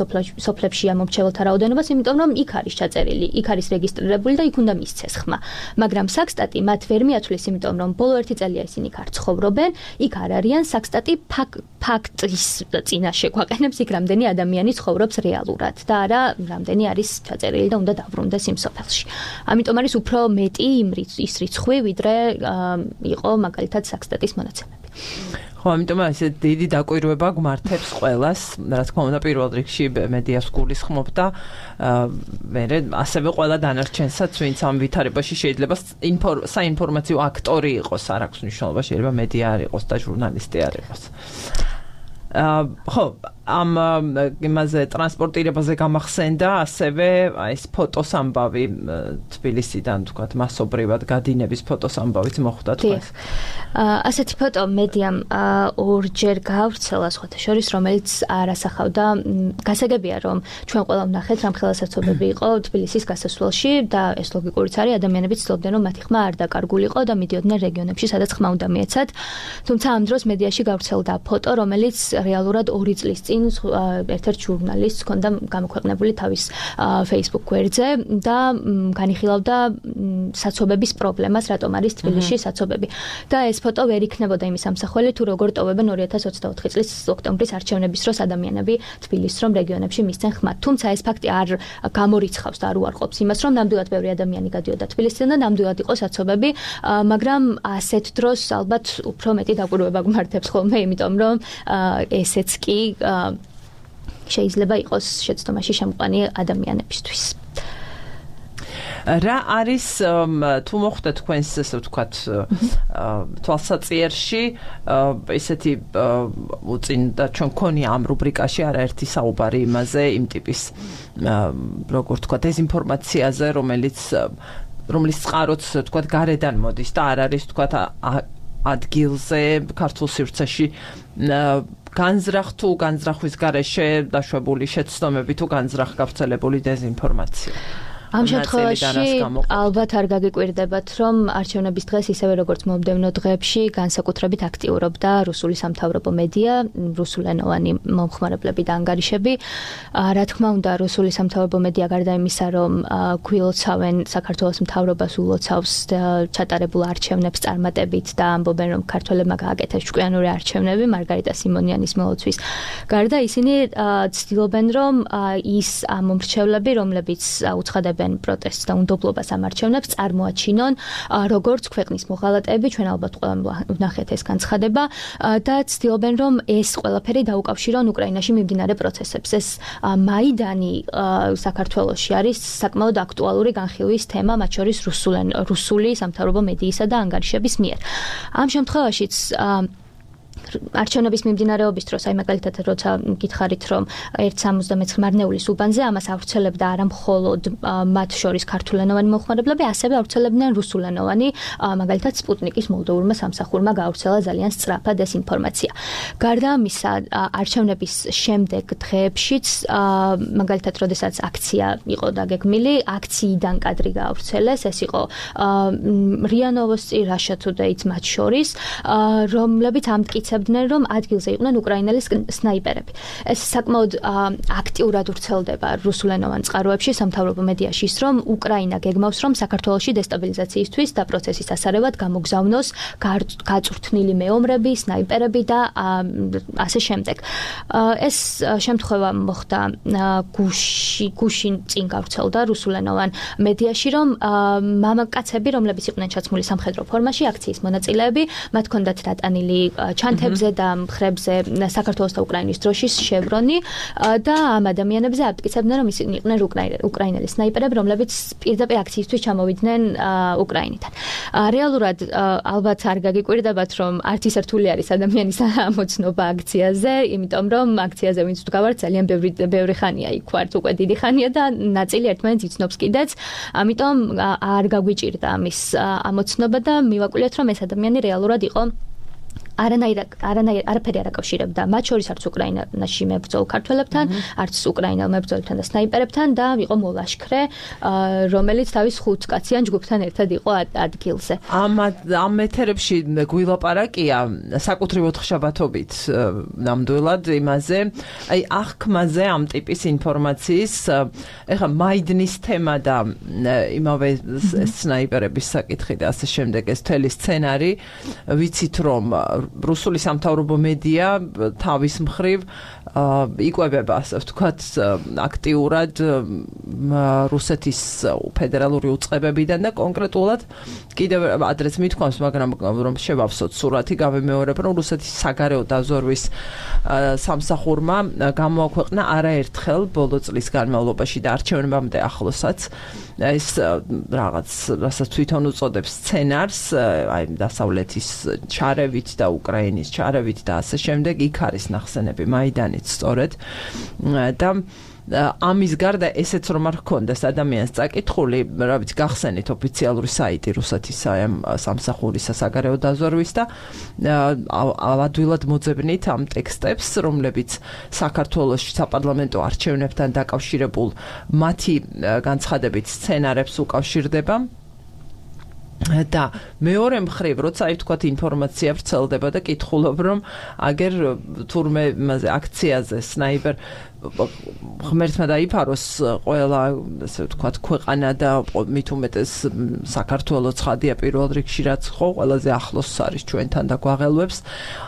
Speaker 2: სოფლებში ამომრჩეველთა რაოდენობას, იმიტომ რომ იქ არის ჩაწერილი, იქ არის რეგისტრირებული და იქ უნდა მისცეს ხმა. მაგრამ საქსტატი მათ ვერ მიათვლის, იმიტომ რომ ბოლო ერთი წელია ისინი იქ არ ცხოვრობენ, იქ არ არიან, საქსტატი ფაქტის წინაშე გვაყენებს იქ რამდენი ადამიანი ცხოვრობს რეალურად და არა რამდენი არის ჩაწერილი და უნდა დაბრუნდეს იმ სოფელში. ამიტომ არის უფრო მეტი იმ ის რიცხვი, ვიდრე იყო მაგალითად საქსტატის მონაცემები.
Speaker 1: ხო, ამიტომ ესე დიდი დაკვირვება გვმართებს ყველას, რა თქმა უნდა, პირველ რიგში მედიას გულისხმობ და მე ასევე ყველა დანარჩენსაც, ვინც ამ ვითარებაში შეიძლება საინფორმაციო აქტორი იყოს, არ აქვს მნიშვნელობა, შეიძლება მედია არ იყოს და ჟურნალისტი არ იყოს. ხო, ამ იმაზე ტრანსპორტირებაზე გამახსენდა ასევე ეს ფოტოს ამბავი თბილისიდან, თქვათ, მასობრივად გადინების ფოტოს ამბავიც მოხვდა თქვას.
Speaker 2: ასეთი ფოტო მედიამ ორჯერ გავრცელა სხვათა შორის, რომელიც არასახავდა. გასაგებია, რომ ჩვენ ყველა ვნახეთ, რამხელა საცობები იყო თბილისის გასასვლელში და ეს ლოგიკურიც არის, ადამიანები ცდილობდნენ, რომ მათი ხმა არ დაკარგულიყო და მიდიოდნენ რეგიონებში, სადაც ხმა უნდა მიეცათ. თუმცა ამ დროს მედიაში გავრცელდა ფოტო, რომელიც რეალურად ორი წლის წინ ერთ-ერთ ჟურნალისტს ჰქონდა გამოქვეყნებული თავის Facebook გვერდზე და განიხილავდა საცობების პრობლემას, რატომ არის თბილისში საცობები. და ეს ფოტო ვერ იქნებოდა იმის ამსახველი, თუ როგორ ტოვებენ ორი ათას ოცდაოთხი წლის ოქტომბრის არჩევნების დროს ადამიანები თბილისს რომ რეგიონებში მისცენ ხმად. თუმცა ეს ფაქტი არ გამორიცხავს და არ უარყოფს იმას, რომ ნამდვილად ბევრი ადამიანი გადიოდა თბილისიდან და ნამდვილად იყო საცობები, მაგრამ ასეთ დროს ალბათ უფრო მეტი დაკვირვება გვმართებს ხოლმე, იმიტომ რომ ესეც კი შეიძლება იყოს შეცდომაში შემყვანი ადამიანებისთვის.
Speaker 1: რა არის თუ მოხდა თქვენს ესე ვთქვათ თვალსაწიერში ესეთი უწინდა ჩვენ გქონია ამ რუბრიკაში არაერთი საუბარი იმაზე იმ ტიპის როგორ ვთქვათ დეზინფორმაციაზე, რომელიც რომლის წყაროც თქვათ გარედან მოდის და არ არის თქვათ ადგილზე ქართულ სივრცეში განზრახ თუ განზრახვის გარეშე დაშვებული შეცდომები თუ განზრახ გავრცელებული დეზინფორმაცია.
Speaker 2: ამ შემთხვევაში ალბათ არ გაგიკვირდებათ, რომ არჩევნების დღეს ისევე როგორც მომდევნო დღეებში განსაკუთრებით აქტიურობდა რუსული სამთავრობო მედია, რუსულენოვანი მომხმარებლები და ანგარიშები. რა თქმა უნდა, რუსული სამთავრობო მედია გარდა იმისა, რომ გვილოცავენ საქართველოს მთავრობას ულოცავს ჩატარებულ არჩევნებს წარმატებით და ამბობენ, რომ ქართველებმა გააკეთეს ჭკვიანური არჩევნები მარგარიტა სიმონიანის მოლოცვის. გარდა ისინი ცდილობენ, რომ ის მომრჩევლები, რომლებიც უცხადებენ პროტესტს და უნდობლობას ამ არჩევნებს წარმოაჩინონ როგორც ქვეყნის მოღალატეები, ჩვენ ალბათ ყველამ ვნახეთ ეს განცხადება და ცდილობენ რომ ეს ყველაფერი დაუკავშირონ უკრაინაში მიმდინარე პროცესებს. ეს მაიდანი საქართველოში არის საკმაოდ აქტუალური განხილვის თემა, მათ შორის რუსული სამთავრობო მედიისა და ანგარიშების მიერ. ამ შემთხვევაშიც არჩევნების მიმდინარეობის დროს, აი მაგალითად, როცა გითხარით, რომ ერთ სამოცდამეცხრე მარნეულის უბანზე ამას ავრცელებდა არა მხოლოდ მათ შორის ქართულენოვანი მომხმარებლები, ასევე ავრცელებდნენ რუსულენოვანი, მაგალითად, სპუტნიკის მოლდოვურმა სამსახურმა გაავრცელა ძალიან სწრაფად ეს ინფორმაცია. გარდა ამისა, არჩევნების შემდეგ დღეებშიც, მაგალითად, როდესაც აქცია იყო დაგეგმილი, აქციიდან კადრი გაავრცელეს, ეს იყო რია ნოვოსტი, Russia Today-ც მათ შორის, რომლებიც ამტკიცებდნენ რომ ადგილზე იყვნენ უკრაინელი სნაიპერები. ეს საკმაოდ აქტიურად ვრცელდება რუსულენოვან წყაროებში, სამთავრობო მედიაში ის, რომ უკრაინა გეგმავს, რომ საქართველოში დესტაბილიზაციისთვის და პროცესის ასარევად გამოგზავნოს გაწვრთნილი მეომრები, სნაიპერები და ასე შემდეგ. ეს შემთხვევა მოხდა გუში, გუშინ წინ გავრცელდა რუსულენოვან მედიაში, რომ მამაკაცები, რომლებიც იყვნენ ჩაცმული სამხედრო ფორმაში, აქციის მონაწილეები, მათ ჰქონდათ დატანილი ჩანთებზე და მხრებზე საქართველოს და უკრაინის დროშის შევრონი და ამ ადამიანებზე აფიქრებდნენ, რომ ისინი იყვნენ უკრაინელი სნაიპერები, რომლებიც პირდაპირ აქციისთვის ჩამოვიდნენ უკრაინიდან. რეალურად ალბათ არ გაგიკვირდებათ, რომ არც ის რთული არის ადამიანის ამოცნობა აქციაზე, იმიტომ რომ აქციაზე ვინც ვდგავართ, ძალიან ბევრი ბევრი ხანია იქ ვართ, უკვე დიდი ხანია და ნაწილი ერთმანეთს იცნობს კიდეც, ამიტომ არ გაგვიჭირდა ამის ამოცნობა და მივაკვლიოთ, რომ ეს ადამიანი რეალურად იყო არანაირ არანაირ არაფერი არ აკავშირებდა მათ შორის არც უკრაინაში მებრძოლ ქართველებთან, არც უკრაინელ მებრძოლებთან და სნაიპერებთან და იყო მოლაშქრე, რომელიც თავის ხუთკაციან ჯგუფთან ერთად იყო ადგილზე.
Speaker 1: ამ ამ ეთერებში გვილაპარაკია საკუთრივ ოთხშაბათობით ნამდვილად იმაზე, აი აღქმაზე ამ ტიპის ინფორმაციის, ეხლა მაიდნის თემა და იმავე სნაიპერების საკითხი და ასე შემდეგ ეს მთელი სცენარი, ვიცით რომ რუსული სამთავრობო მედია თავის მხრივ იკვებება, ასე ვთქვათ, აქტიურად რუსეთის ფედერალური უწყებებიდან და კონკრეტულად კიდევ ადრეც მithქვამს, მაგრამ რომ შევავსოთ სურათი, გავიმეორებ, რომ რუსეთის საგარეო დაზვერვის სამსახურმა გამოაქვეყნა არაერთხელ ბოლო წლის განმავლობაში და არჩევნებამდე ახლოსაც ეს რაღაც, რასაც თვითონ უწოდებს სცენარს, აი დასავლეთის ჩარევით და უკრაინის ჩარევით და ასე შემდეგ, იქ არის ნახსენები მაიდანიც სწორედ და ამის გარდა ესეც რომ არ ჰქონდეს ადამიანს წაკითხული, რა ვიცი, გახსენით ოფიციალური საიტი რუსეთის სამსახურის საგარეო დაზვერვის და ავადვილად მოძებნით ამ ტექსტებს, რომლებიც საქართველოს საპარლამენტო არჩევნებთან დაკავშირებულ მათი განცხადებით სცენარებს უკავშირდება. და მეორე მხრივ, როცა აი ვთქვათ ინფორმაცია ვრცელდება და კითხულობ, რომ აგერ თურმე იმაზე აქციაზე სნაიპერ ღმერთმა დაიფაროს ყველა, ასე ვთქვათ, ქვეყანა და მით უმეტეს საქართველო ცხადია პირველ რიგში, რაც ხო ყველაზე ახლოს არის ჩვენთან და გვაღელვებს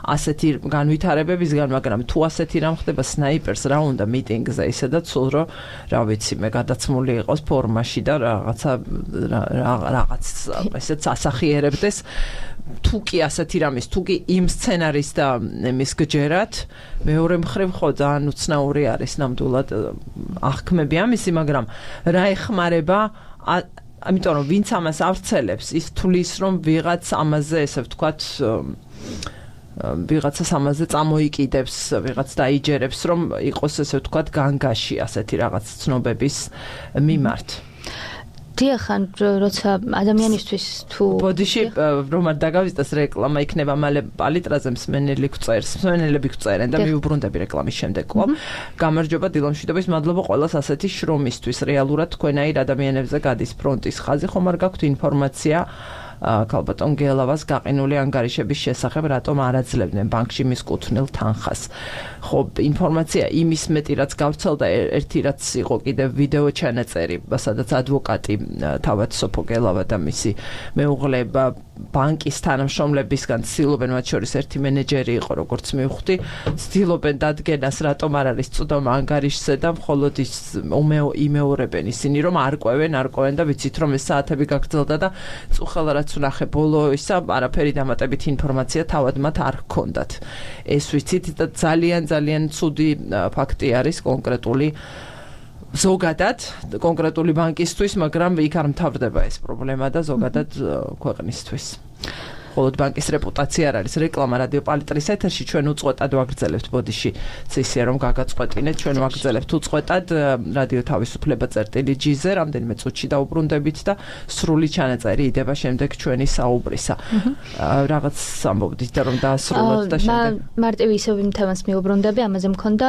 Speaker 1: ასეთი განვითარებებისგან, მაგრამ თუ ასეთი რამ ხდება სნაიპერს რა უნდა მიტინგზე ისედაც სულ რომ რა ვიცი მე გადაცმული იყოს ფორმაში და რაღაცა რაღაც ესეც ასახიერებდეს თუ კი ასეთი რამის, თუ კი იმ სცენარის და იმის გჯერათ, მეორე მხრივ ხო ძალიან უცნაური არის ნამდვილად აღქმები ამისი, მაგრამ რა ეხმარება, ამიტომ რომ ვინც ამას ავრცელებს, ის თulis რომ ვიღაც ამაზე, ესე ვთქვათ, ვიღაცას ამაზე წამოიკიდებს, ვიღაც დაიჯერებს, რომ იყოს, ესე ვთქვათ, განგაში ასეთი რაღაც ცნობების მიმართ.
Speaker 2: დიახან, როცა ადამიანისთვის თუ
Speaker 1: ბოდიში რომ არ დაგავიწყდეს რეკლამა იქნება მალე პალიტრაზე მსმენელი გვწერს, მსმენელები გვწერენ და მიუბრუნდები რეკლამის შემდეგ კვლავ. გამარჯობა დილამშვიდობის, მადლობა ყველას ასეთი შრომისთვის. რეალურად თქვენაირ ადამიანებზე გადის ფრონტის ხაზი, ხომ არ გაქვთ ინფორმაცია ქალბატონ გელავას გაყინული ანგარიშების შესახებ, რატომ არ აძლევდნენ ბანკში მის კუთვნილ თანხას. ხო, ინფორმაცია იმის მეტი რაც გავრცელდა, ერთი რაც იყო კიდევ ვიდეო ჩანაწერი, სადაც ადვოკატი თავად სოფო გელავა და მისი მეუღლე ბანკის თანამშრომლებისგან ცდილობენ, მათ შორის ერთი მენეჯერი იყო, როგორც მივხვდი, ცდილობენ დადგენას, რატომ არ არის წვდომა ანგარიშზე და მხოლოდ ის იმეორებენ ისინი, რომ არ ყვევენ, არ ყვევენ და ვიცით, რომ ეს საათები გაგრძელდა და წუხელა რაც ვნახე ბოლო ისა, არაფერი დამატებით ინფორმაცია თავად მათ არ ჰქონდათ. ეს ვიცით და ძალიან ძალიან ცუდი ფაქტი არის კონკრეტული ზოგადად კონკრეტული ბანკისთვის, მაგრამ იქ არ მთავრდება ეს პრობლემა და ზოგადად ქვეყნისთვის. მხოლოდ ბანკის რეპუტაცია არ არის. რეკლამა რადიო პალიტრის ეთერში ჩვენ უწყვეტად ვაგრძელებთ ბოდიში. ცისია რომ გაგაწყვეტინეთ, ჩვენ ვაგრძელებთ უწყვეტად რადიო თავისუფლება წერტილი ჯიზე, რამდენიმე წუთში დაუბრუნდებით და სრული ჩანაწერი იდება შემდეგ ჩვენი საუბრისა. რაღაც ამბობდით და რომ დაასრულოთ და შემდეგ.
Speaker 2: მარტივი ისევ იმ თემას მიუბრუნდები, ამაზე მქონდა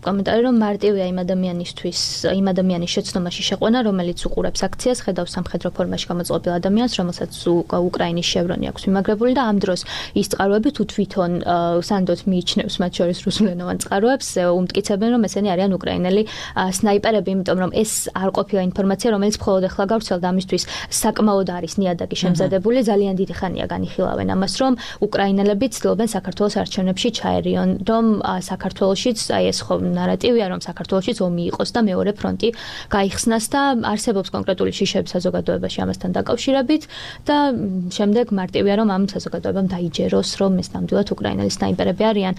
Speaker 2: კომენტარი, რომ მარტივია იმ ადამიანისთვის, იმ ადამიანის შეცდომაში შეყვანა, რომელიც უყურებს აქციას, ხედავს სამხედრო ფორმაში გამოწყობილ ადამიანს, რომელსაც უკრაინის შევრონი აქვს მიმაგრებული და ამ დროს ის წყაროები თუ თვითონ სანდოდ მიიჩნევს მათ შორის რუსულენოვან წყაროებს, უმტკიცებენ, რომ ესენი არიან უკრაინელი სნაიპერები, იმიტომ რომ ეს არ ყოფილა ინფორმაცია, რომელიც მხოლოდ ახლა გავრცელდა, ამისთვის საკმაოდ არის ნიადაგი შემზადებული, ძალიან დიდი ხანია განიხილავენ ამას, რომ უკრაინელები ცდილობენ საქართველოს არჩევნებში ჩაერიონ, რომ საქართველოშიც აი ეს ხო ნარატივია, რომ საქართველოშიც ომი იყოს და მეორე ფრონტი გაიხსნას და არსებობს კონკრეტული შიშები საზოგადოებაში ამასთან დაკავშირებით და შემდეგ მარტივია, რომ ამ საზოგადოებამ დაიჯეროს, რომ ეს ნამდვილად უკრაინელი სნაიპერები არიან.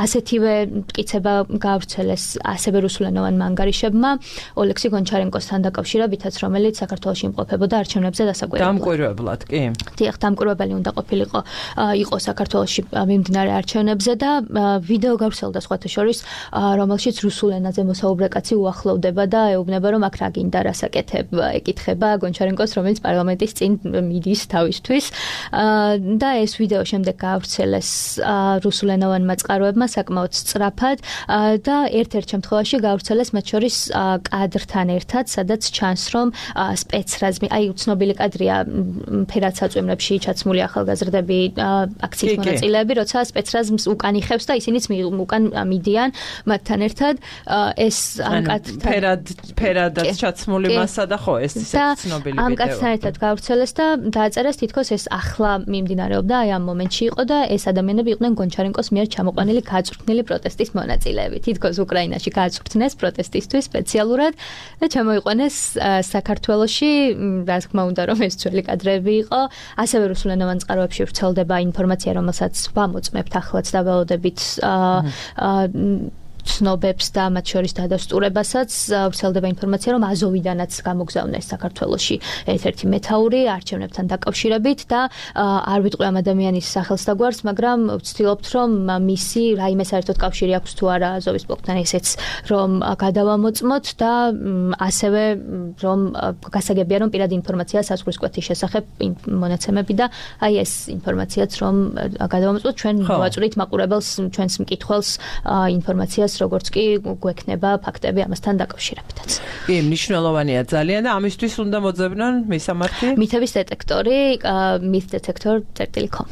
Speaker 2: ასეთივე მტკიცება გავრცელეს ასევე რუსულენოვანმა ანგარიშებმა ოლექსი გონჩარენკოსთან დაკავშირებითაც, რომელიც საქართველოში იმყოფებოდა არჩევნებზე დასაკვირებლად.
Speaker 1: დამკვირვებლად, კი.
Speaker 2: დიახ, დამკვირვებელი უნდა ყოფილიყო იყო საქართველოში მიმდინარე არჩევნებზე და ვიდეო გავრცელდა სხვათა შორის, რომელშიც რუსულ ენაზე მოსაუბრე კაცი უახლოვდება და ეუბნება, რომ აქ რა გინდა, რასაკეთებ, ეკითხება გონჩარენკოს, რომელიც პარლამენტის წინ მიდის თავისთვის. და ეს ვიდეო შემდეგ გაავრცელეს რუსულენოვანმა წყაროებმა საკმაოდ სწრაფად და ერთ-ერთ შემთხვევაში გაავრცელეს მათ შორის კადრთან ერთად, სადაც ჩანს, რომ სპეცრაზმი, აი უცნობილი კადრია ფერად საწვიმრებში ჩაცმული ახალგაზრდები, აქციის მონაწილეები, როცა სპეცრაზმს უკან იხევს და ისინიც უკან მიდიან მათთან ერთად. ეს ამ კადრთან
Speaker 1: ფერად ფერადაც ჩაცმული მასა და ხო, ეს ისე ცნობილი ვიდეო.
Speaker 2: ამ კადრთან ერთად გაავრცელეს და დააწერეს თითქოს ეს ახლა მიმდინარეობდა, აი ამ მომენტში იყო და ეს ადამიანები იყვნენ გონჩარენკოს მიერ ჩამოყვანილი გაწვრთნილი პროტესტის მონაწილეები. თითქოს უკრაინაში გააწვრთნეს პროტესტისთვის სპეციალურად და ჩამოიყვანეს საქართველოში, რა თქმა უნდა, რომ ეს ძველი კადრები იყო. ასევე რუსულენოვან წყაროებში ვრცელდება ინფორმაცია, რომელსაც ვამოწმებთ ახლაც და ველოდებით ცნობებს და მათ შორის დადასტურებასაც ვრცელდება ინფორმაცია, რომ აზოვიდანაც გამოგზავნეს საქართველოში ერთ-ერთი მეთაური არჩევნებთან დაკავშირებით და არ ვიტყვი ამ ადამიანის სახელს და გვარს, მაგრამ ვცდილობთ, რომ მისი რაიმე საერთოდ კავშირი აქვს თუ არა აზოვის ბლოკთან, ესეც რომ გადავამოწმოთ და ასევე რომ გასაგებია, რომ პირადი ინფორმაცია საზღვრის კვეთის შესახებ მონაცემები და აი ეს ინფორმაციაც რომ გადავამოწმოთ, ჩვენ მოვაწვრით მაყურებელს, ჩვენს მკითხველს ინფორმაციას, როგორც კი გვექნება ფაქტები ამასთან დაკავშირებითაც.
Speaker 1: კი, მნიშვნელოვანია ძალიან და ამისთვის უნდა მოძებნონ მისამართი
Speaker 2: მითების დეტექტორი myth detector dot com.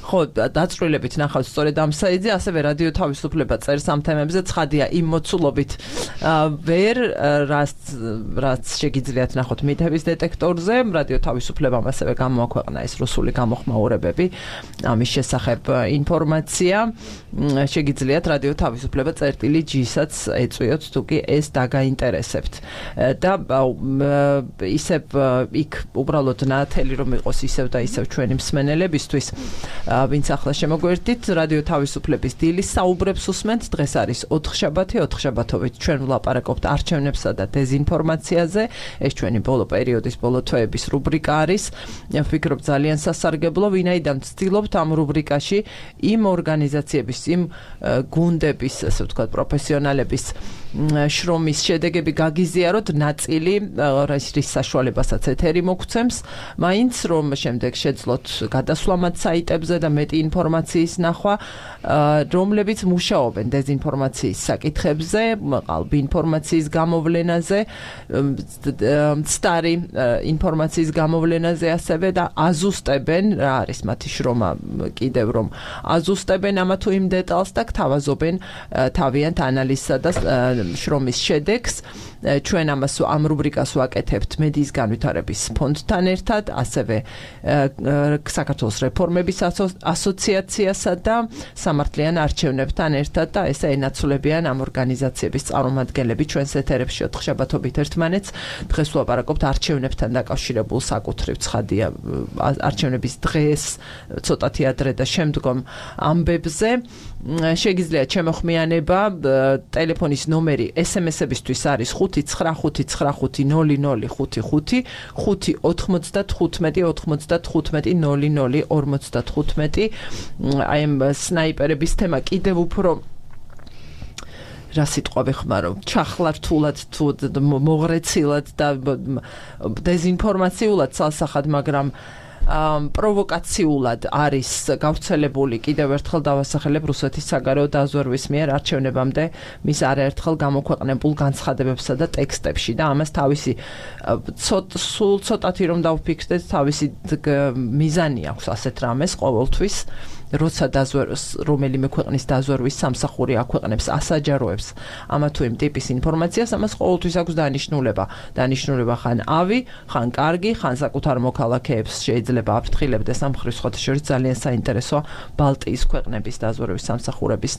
Speaker 1: ხო, დაწვრილებით ნახავთ სწორედ ამ საიტზე, ასევე რადიო თავისუფლება წერს ამ თემებზე, ცხადია იმ მოცულობით ვერ რაც რაც შეგიძლიათ ნახოთ მითების დეტექტორზე, რადიო თავისუფლებამ ასევე გამოაქვეყნა ეს რუსული გამოხმაურებები ამის შესახებ ინფორმაცია. შეგიძლიათ რადიო თავისუფლება წერტილი ჯისაც ეწვიოთ, თუ კი ეს დაგაინტერესებთ. და ისევ იქ უბრალოდ ნათელი რომ იყოს ისევ და ისევ ჩვენი მსმენელებისთვის, ვინც ახლა შემოგვერდით, რადიო თავისუფლების დილის საუბრებს უსმენთ. დღეს არის ოთხშაბათი, ოთხშაბათობით ჩვენ ვლაპარაკობთ არჩევნებსა და დეზინფორმაციაზე. ეს ჩვენი ბოლო პერიოდის, ბოლო თვეების რუბრიკა არის. ვფიქრობ ძალიან სასარგებლო, ვინაიდან ვცდილობთ ამ რუბრიკაში იმ ორგანიზაციების, იმ გუნდების, ასე ვთქვათ, პროფესიონალების შრომის შედეგები გაგიზიაროთ ნაწილი რის საშუალებასაც ეთერი მოგცემს მაინც რომ შემდეგ შეძლოთ გადასვლამად საიტებზე და მეტი ინფორმაციის ნახვა რომლებიც მუშაობენ დეზინფორმაციის საკითხებზე ყალბი ინფორმაციის გამოვლენაზე მცდარი ინფორმაციის გამოვლენაზე ასევე და აზუსტებენ რა არის მათი შრომა კიდევ რომ აზუსტებენ ამა თუ იმ დეტალს და გთავაზობენ თავიანთ ანალიზსა და შრომის შედეგს ჩვენ ამას ამ რუბრიკას ვაკეთებთ მედიის განვითარების ფონდთან ერთად ასევე საქართველოს რეფორმების ასოციაციასა და სამართლიან არჩევნებთან ერთად და ესე ენაცვლებიან ამ ორგანიზაციების წარმომადგენლები ჩვენს ეთერებში ოთხშაბათობით ერთმანეთს დღეს ვლაპარაკობთ არჩევნებთან დაკავშირებულ საკუთრივ ცხადია არჩევნების დღეს ცოტათი ადრე და შემდგომ ამბებზე შეგიძლიათ ჩემოხმიანება ტელეფონის ნომერი ესემესებისთვის არის ხუთი ცხრა ხუთი ცხრა ხუთი ნული ნული ხუთი ხუთი ხუთი ოთხმოცდათხუთმეტი ოთხმოცდათხუთმეტი ნული ნული ორმოცდათხუთმეტი აი ამ სნაიპერების თემა კიდევ უფრო რა სიტყვა ვეხმარო ჩახლართულად თუ მოღრეცილად და დეზინფორმაციულად ცალსახად მაგრამ პროვოკაციულად არის გავრცელებული კიდევ ერთხელ დავასახელებ რუსეთის საგარეო დაზვერვის მიერ არჩევნებამდე მის არაერთხელ გამოქვეყნებულ განცხადებებსა და ტექსტებში და ამას თავისი სულ ცოტათი რომ დავფიქრდეთ თავისი მიზანი აქვს ასეთ რამეს ყოველთვის როცა დაზვერვის რომელიმე ქვეყნის დაზვერვის სამსახური აქვეყნებს ასაჯაროებს ამა თუ იმ ტიპის ინფორმაციას ამას ყოველთვის აქვს დანიშნულება დანიშნულება ხან ავი ხან კარგი ხან საკუთარ მოქალაქეებს შეიძლება აფრთხილებდეს ამ ხრის ხოთშორის ძალიან საინტერესოა ბალტიის ქვეყნების დაზვერვის სამსახურების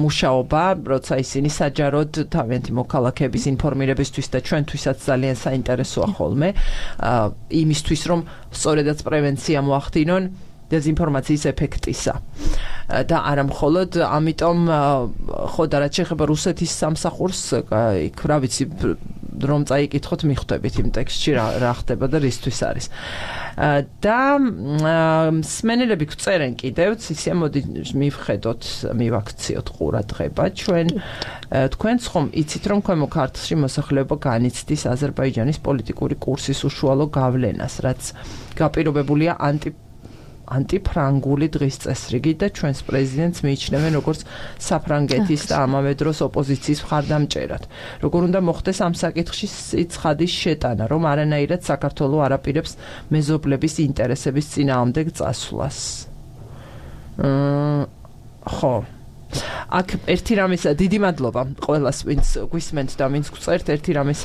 Speaker 1: მუშაობა როცა ისინი საჯაროდ თავიანთი მოქალაქეების ინფორმირებისთვის და ჩვენთვისაც ძალიან საინტერესოა ხოლმე იმისთვის რომ სწორედაც პრევენცია მოახდინონ დეზინფორმაციის ეფექტისა და არა მხოლოდ ამიტომ ხო და რაც შეეხება რუსეთის სამსახურს იქ რა ვიცი რომ წაიკითხოთ მიხვდებით იმ ტექსტში რა რა ხდება და რისთვის არის და სმენელები გწერენ კიდევ ისე მოდი მივხედოთ მივაქციოთ ყურადღება ჩვენ თქვენც ხომ იცით რომ ქვემო ქართლში მოსახლეობა განიცდის აზერბაიჯანის პოლიტიკური კურსის უშუალო გავლენას რაც გაპირობებულია ანტი ანტიფრანგული დღის წესრიგი და ჩვენს პრეზიდენტს მიიჩნევენ როგორც საფრანგეთის და ამავე დროს ოპოზიციის მხარდამჭერად. როგორ უნდა მოხდეს ამ საკითხში ცხადის შეტანა, რომ არანაირად საქართველოს არ აპირებს მეზობლების ინტერესების წინააღმდეგ წასვლას. ხო. აქ ერთი რამის დიდი მადლობა ყველას, ვინც გვისმენთ და ვინც გწერთ ერთი რამის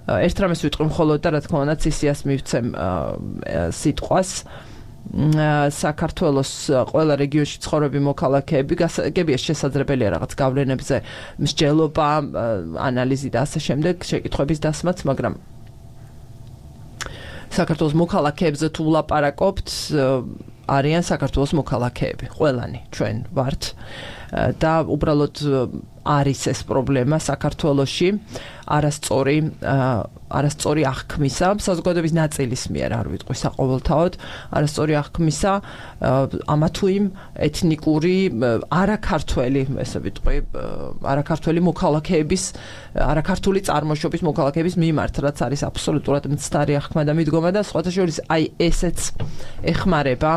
Speaker 1: ერთ რამის ვიტყვი მხოლოდ და რა თქმა უნდა ცისიას მივცემ სიტყვას საქართველოს ყველა რეგიონში ცხოვრები მოქალაქეები გასაგებია შესაძლებელია რაღაც გავლენებზე მსჯელობა ანალიზი და ასე შემდეგ შეკითხვების დასმაც მაგრამ საქართველოს მოქალაქეებზე თუ ვლაპარაკობთ არიან საქართველოს მოქალაქეები ყველანი ჩვენ ვართ და უბრალოდ არის ეს პრობლემა საქართველოში არასწორი არასწორი აღქმისა საზოგადოების ნაწილის მიერ არ ვიტყვი საყოველთაოდ არასწორი აღქმისა ამა თუ იმ ეთნიკური არაქართველი ესე ვიტყვი არაქართველი მოქალაქეების არაქართული წარმოშობის მოქალაქეების მიმართ რაც არის აბსოლუტურად მცდარი აღქმა და მიდგომა და სხვათა შორის აი ესეც ეხმარება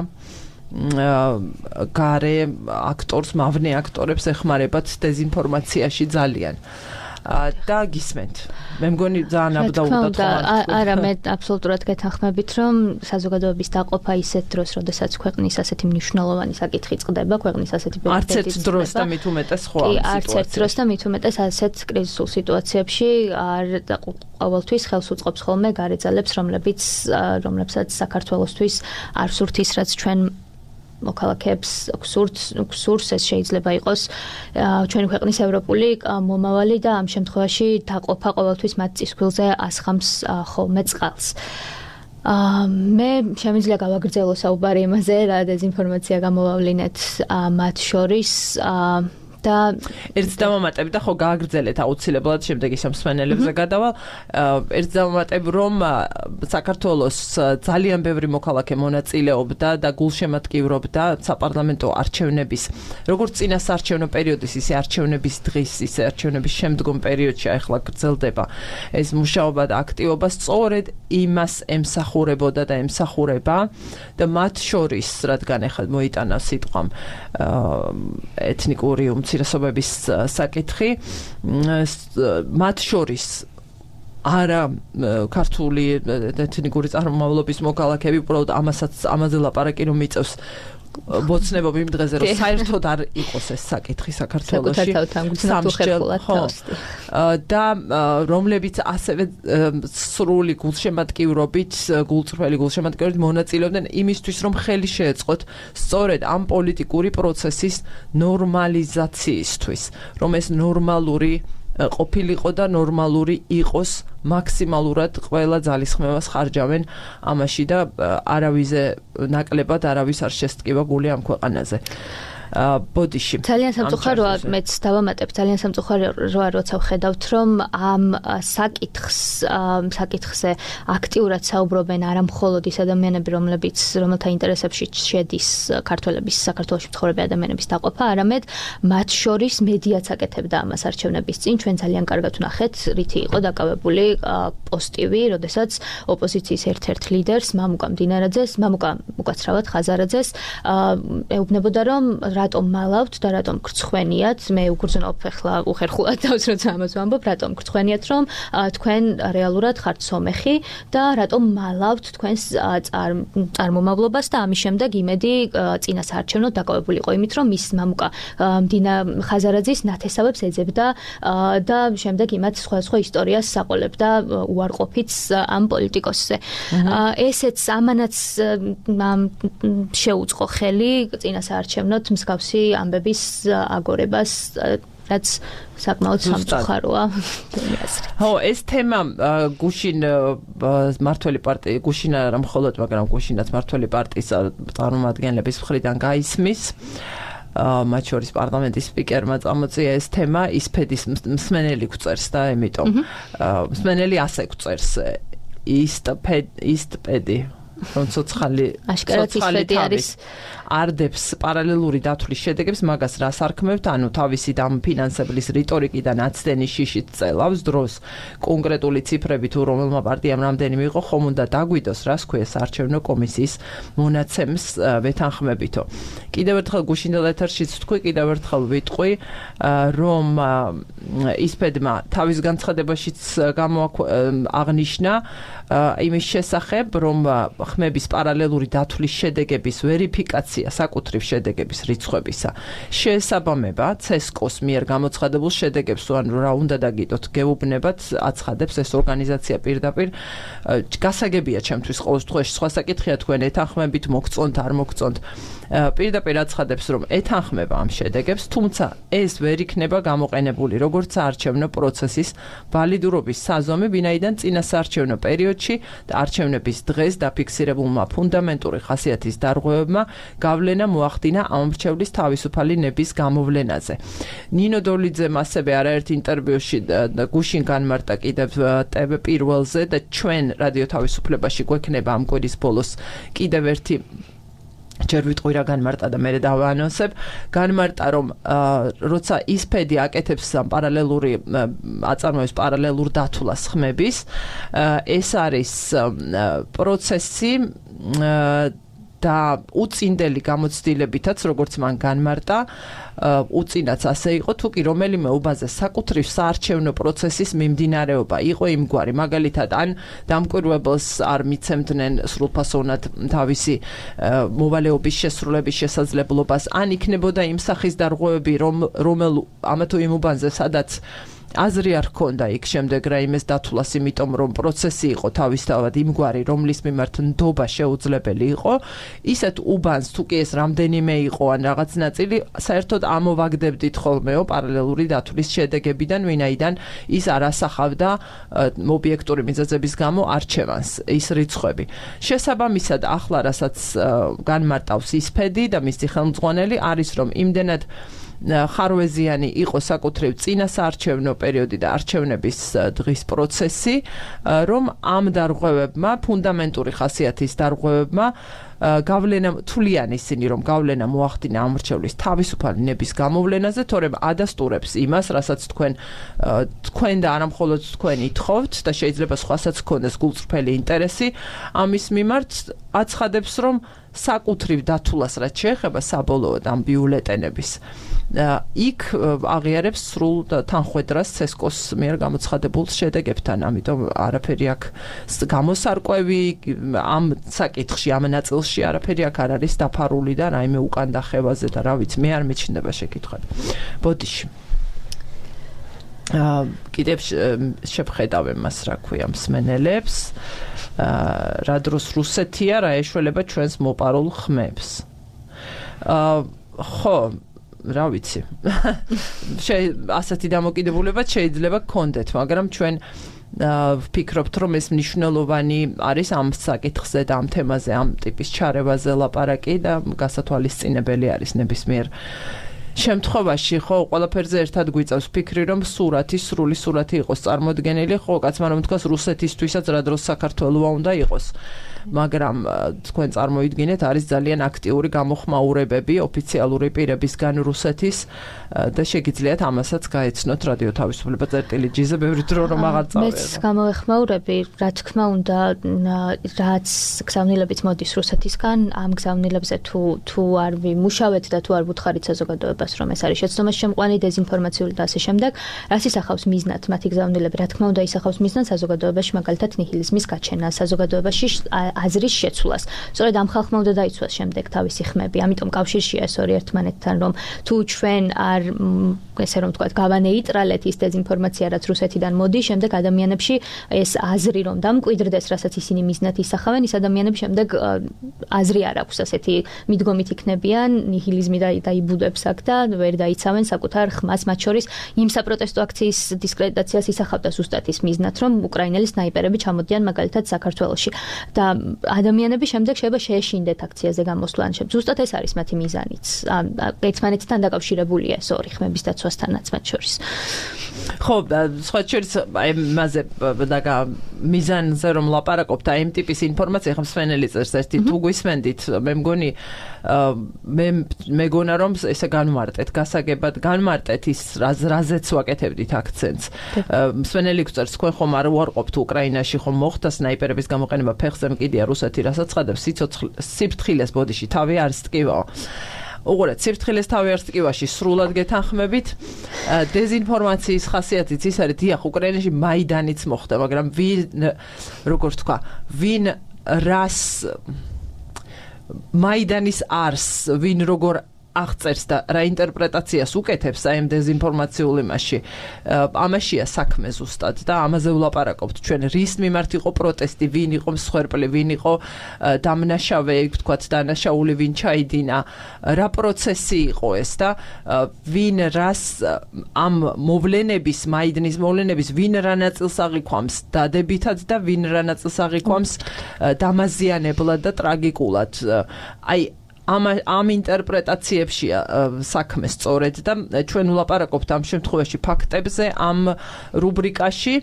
Speaker 1: გარე აქტორს მავნე აქტორებს ეხმარებათ დეზინფორმაციაში ძალიან და გისმენთ. მე მგონი ძალიან აბდაუდად ხომ
Speaker 2: არა მე აბსოლუტურად გეთანხმებით რომ საზოგადოების დაყოფა ისეთ დროს როდესაც ქვეყნის ასეთი მნიშვნელოვანი საკითხი წყდება ქვეყნის ასეთი
Speaker 1: არც ერთ დროს და მით უმეტეს ხო ამ სიტუაციაში
Speaker 2: არც ერთ დროს და მით უმეტეს ასეთ კრიზისულ სიტუაციებში არ ყოველთვის ხელს უწყობს ხოლმე გარე ძალებს რომლებიც რომლებსაც საქართველოსთვის არ სურთ ის რაც ჩვენ მოქალაქეებს გსურს ეს შეიძლება იყოს ჩვენი ქვეყნის ევროპული მომავალი და ამ შემთხვევაში დაყოფა ყოველთვის მათ წისქვილზე ასხამს ხოლმე წყალს. მე შემიძლია გავაგრძელო საუბარი იმაზე რა დეზინფორმაცია გამოვავლინეთ მათ შორის და
Speaker 1: ერთ დავამატებ და ხო გააგრძელეთ აუცილებლად შემდეგ ის მსმენელებზე გადავალ ერთ დავამატებ რომ საქართველოს ძალიან ბევრი მოქალაქე მონაწილეობდა და გულშემატკივრობდა საპარლამენტო არჩევნების როგორც წინასაარჩევნო პერიოდის ისე არჩევნების დღის ისე არჩევნების შემდგომ პერიოდში ახლა გრძელდება ეს მუშაობა და აქტივობა სწორედ იმას ემსახურებოდა და ემსახურება და მათ შორის რადგან ახლა მოიტანა სიტყვამ ეთნიკური უმცირესობების საკითხი მათ შორის არა ქართული ეთნიკური წარმომავლობის მოქალაქეები უბრალოდ ამასაც ამაზე ლაპარაკი რომ მიწევს ბოცნებობ იმ დღეზე რომ საერთოდ არ იყოს ეს საკითხი საქართველოში და რომლებიც ასევე სრული გულშემატკივრობით გულწრფელი გულშემატკივრობით მონაწილეობდნენ იმისთვის რომ ხელი შეეწყოთ სწორედ ამ პოლიტიკური პროცესის ნორმალიზაციისთვის რომ ეს ნორმალური ყოფილიყო და ნორმალური იყოს მაქსიმალურად ყველა ძალისხმევას ხარჯავენ ამაში და არავიზე ნაკლებად არავის არ შესტკივა გული ამ ქვეყანაზე. ბოდიში.
Speaker 2: ძალიან სამწუხაროა, მეც დავამატებ, ძალიან სამწუხაროა, როცა ვხედავთ, რომ ამ საკითხს, საკითხზე აქტიურად საუბრობენ არა მხოლოდ ის ადამიანები, რომლებიც რომელთა ინტერესებში შედის ქართველების საქართველოში მცხოვრები ადამიანების დაყოფა, არამედ მათ შორის მედიაც აკეთებდა ამას არჩევნების წინ. ჩვენ ძალიან კარგად ვნახეთ, რითი იყო დაკავებული პოსტივი, როდესაც ოპოზიციის ერთ-ერთ ლიდერს, მამუკა მდინარაძეს, მამუკა უკაცრავად ხაზარაძეს ეუბნებოდა, რომ რატომ მალავთ და რატომ გრცხვენიათ მე უგრძნობ ახლა უხერხულად თავს როცა ამას ვამბობ რატომ გრცხვენიათ რომ თქვენ რეალურად ხართ სომეხი და რატომ მალავთ თქვენს წარმომავლობას და ამის შემდეგ იმედი წინასაარჩევნოდ დაკავებულიყო იმით რომ მის მამუკა მდინა ხაზარაძის ნათესავებს ეძებდა და შემდეგ იმათ სხვა სხვა ისტორიას საყოლებდა უარყოფით ამ პოლიტიკოსზე ესეც ამანაც შეუწყო ხელი წინასაარჩევნოდ მსგავსი ამბების აგორებას რაც საკმაოდ სამწუხაროა.
Speaker 1: ხო, ეს თემა გუშინ მართველი პარტია გუშინ არა მხოლოდ, მაგრამ გუშინაც მართველი პარტიის წარმომადგენლების მხრიდან გაისმის მათ შორის პარლამენტის სპიკერმა წამოწია ეს თემა ისფედის მსმენელი გვწერს და ამიტომ მსმენელი ასე გვწერს ისტპედი რომ ცოცხალი ცოცხალი არის არდებს პარალელური დათვლის შედეგებს მაგას რას არქმევთ ანუ თავისი დამფინანსებლის რიტორიკიდან აცდენის შიშით წელავს დროს კონკრეტული ციფრები თუ რომელმა პარტიამ რამდენი მიიღო ხომ უნდა დაგვიდოს რას ქვია საარჩევნო კომისიის მონაცემს ვეთანხმებითო კიდევ ერთხელ გუშინდელ ეთერშიც ვთქვი კიდევ ერთხელ ვიტყვი რომ ისფედმა თავის განცხადებაშიც აღმოაჩინა იმის შესახებ რომ ხმების პარალელური დათვლის შედეგების ვერიფიკაცია საკუთრივ შედეგების რიცხვებისა შეესაბამება ცესკოს მიერ გამოცხადებულ შედეგებს თუ ანუ რა უნდა დაგიდოთ გეუბნებათ აცხადებს ეს ორგანიზაცია პირდაპირ გასაგებია ჩემთვის ყოველთვის სხვა საკითხია თქვენ ეთანხმებით მოგწონთ არ მოგწონთ პირდაპირ აცხადებს რომ ეთანხმება ამ შედეგებს თუმცა ეს ვერ იქნება გამოყენებული როგორც საარჩევნო პროცესის ვალიდურობის საზომი ვინაიდან წინასაარჩევნო პერიოდში და არჩევნების დღეს დაფიქსირებულმა ფუნდამენტური ხასიათის დარღვევებმა გავლენა მოახდინა ამ მრჩევლის თავისუფალი ნების გამოვლენაზე. ნინო დოლიძემ ასევე არაერთ ინტერვიუში გუშინ განმარტა კიდევ ტევ პირველზე და ჩვენ რადიო თავისუფლებაში გვექნება ამ კვირის ბოლოს კიდევ ერთი ჯერ ვიტყვი რა განმარტა და მე დავაანონსებ განმარტა რომ როცა ისფედი აკეთებს პარალელური აწარმოებს პარალელურ დათვლას ხმების ეს არის პროცესი და უწინდელი გამოცდილებითაც როგორც მან განმარტა უწინაც ასე იყო თუ კი რომელიმე უბანზე საკუთრივ საარჩევნო პროცესის მიმდინარეობა იყო იმგვარი მაგალითად ან დამკვირვებელს არ მიცემდნენ სრულფასოვნად თავისი მოვალეობის შესრულების შესაძლებლობას ან იქნებოდა იმ სახის დარღვევები რომ რომელ ამა თუ იმ უბანზე სადაც აზრი არ ჰქონდა იქ შემდეგ რაიმეს დათვლას იმიტომ რომ პროცესი იყო თავისთავად იმგვარი რომლის მიმართ ნდობა შეუძლებელი იყო ისეთ უბანს თუ კი ეს რამდენიმე იყო ან რაღაც ნაწილი საერთოდ ამოვაგდებდით ხოლმეო პარალელური დათვლის შედეგებიდან ვინაიდან ის არ ასახავდა ობიექტური მიზეზების გამო არჩევანს ის რიცხვები შესაბამისად ახლა რასაც განმარტავს ისფედი და მისი ხელმძღვანელი არის რომ იმდენად ხარვეზიანი იყო საკუთრივ წინა საარჩევნო პერიოდი და არჩევნების დღის პროცესი, რომ ამ დარღვევებმა, ფუნდამენტური ხასიათის დარღვევებმა გავლენა თვლიან ისინი, რომ გავლენა მოახდინა ამრჩევლის თავისუფალი ნების გამოვლენაზე, თორემ ადასტურებს იმას, რასაც თქვენ თქვენ და არა მხოლოდ თქვენ ითხოვთ და შეიძლება სხვასაც ჰქონდეს გულწრფელი ინტერესი ამის მიმართ, აცხადებს, რომ საკუთრივ დათვლას რაც შეეხება საბოლოოდ ამ ბიულეტენების იქ აღიარებს სრულ თანხვედრას ცესკოს მიერ გამოცხადებულ შედეგებთან, ამიტომ არაფერი აქ გამოსარკვევი ამ საკითხში, ამ ნაწილში არაფერი აქ არ არის დაფარული და რაიმე უკან დახევაზე და რა ვიცი, მე არ მეჩნდება შეკითხვები. ბოდიში. აა კიდევ შევხედავ მას, რა ქვია, მსმენელებს. აა რა დროს რუსეთია, რა ეშველება ჩვენს მოპარულ ხმებს. აა ხო, რა ვიცი. ასეთი დამოკიდებულება შეიძლება გქონდეთ, მაგრამ ჩვენ ვფიქრობთ, რომ ეს მნიშვნელოვანი არის ამ საკითხზე და ამ თემაზე, ამ ტიპის ჩარევაზე ლაპარაკი და გასათვალისწინებელი არის ნებისმიერ შემთხვევაში, ხო, ყველაფერზე ერთად გვიწევს ფიქრი, რომ სურათი, სრული სურათი იყოს წარმოდგენილი, ხო, კაცმა რომ თქვას რუსეთისთვისაც რა დროს საქართველოა უნდა იყოს. მაგრამ თქვენ წარმოიდგინეთ, არის ძალიან აქტიური გამოხმაურებები ოფიციალური პირებისგან რუსეთის და შეგიძლიათ ამასაც გაეცნოთ რადიო თავისუფლება წერტილი ჯიზე ბევრი დრო რომ აღარ წავედა.
Speaker 2: მეც გამოეხმაურები, რა თქმა უნდა, რაც გზავნილებით მოდის რუსეთისგან, ამ გზავნილებზე თუ თუ არ ვიმუშავეთ და თუ არ ვუთხარით საზოგადოებას, რომ ეს არის შეცდომას შემყვანი, დეზინფორმაციული და ასე შემდეგ, რას ისახავს მიზნად მათი გზავნილები, რა თქმა უნდა, ისახავს მიზნად საზოგადოებაში, მაგალითად ნიჰილიზმის გაჩენას, საზოგადოებაში აზრის შეცვლას. სწორედ ამ ხალხმა უნდა დაიცვას შემდეგ თავისი ხმები. ამიტომ კავშირშია ეს ორი ერთმანეთთან, რომ თუ ჩვენ არ ესე რომ ვთქვათ, გავანეიტრალეთ ის დეზინფორმაცია, რაც რუსეთიდან მოდის, შემდეგ ადამიანებში ეს აზრი რომ დამკვიდრდეს, რასაც ისინი მიზნად ისახავენ, ის ადამიანები შემდეგ აზრი არ აქვს ასეთი მიდგომით იქნებიან, ნიჰილიზმი დაიბუდებს აქ და ვერ დაიცავენ საკუთარ ხმას, მათ შორის იმ საპროტესტო აქციის დისკრედიტაციას ისახავდა ზუსტად ის მიზნად, რომ უკრაინელი სნაიპერები ჩამოდიან მაგალითად საქართველოში და ადამიანები შემდეგ შეიძლება შეეშინდეთ აქციაზე გამოსვლან. ზუსტად ეს არის მათი მიზანიც. ერთმანეთთან დაკავშირებულია ეს ორი ხმების დაცვასთანაც მათ შორის.
Speaker 1: ხო, სხვა შორის აი მასე და მიზანზე რომ ლაპარაკობთ, აი იმ ტიპის ინფორმაცია ხომ სვენელი წერს ერთი თუ გვისმენდით, მე მგონი მე მეგონა რომ ესე განმარტეთ, გასაგებად განმარტეთ ის რაზეც ვაკეთებდით აქცენტს. სვენელი წერს, თქვენ ხომ არ უარყოფთ უკრაინაში ხომ მოხდა სნაიპერების გამოყენება ფეხზე მკიდია რუსეთი, რასაც ცხადებს სიფრთხილეს ბოდიში თავი არის ტკივაო. უყურეთ, სიფრთხილეს თავი არის ტკივაში სრულად გეთანხმებით. დეზინფორმაციის ხასიათიც ის არის, დიახ, უკრაინაში მაიდანიც მოხდა, მაგრამ ვინ როგორ თქვა, ვინ რას მაიდანის არს, ვინ როგორ აღწერს და რა ინტერპრეტაციას უკეთებს აი ამ დეზინფორმაციულ იმაში. ამაშია საქმე ზუსტად და ამაზე ვლაპარაკობთ. ჩვენ რის მიმართ იყო პროტესტი, ვინ იყო მსხვერპლი, ვინ იყო დამნაშავე, ვთქვათ, დანაშაული, ვინ ჩაიდინა, რა პროცესი იყო ეს და ვინ რას ამ მოვლენების, მაიდნის მოვლენების, ვინ რა ნაწილს აღიქვამს დადებითად და ვინ რა ნაწილს აღიქვამს დამაზიანებლად და ტრაგიკულად. აი ამ ამ ინტერპრეტაციებშია საქმე სწორედ და ჩვენ ვლაპარაკობთ ამ შემთხვევაში ფაქტებზე ამ რუბრიკაში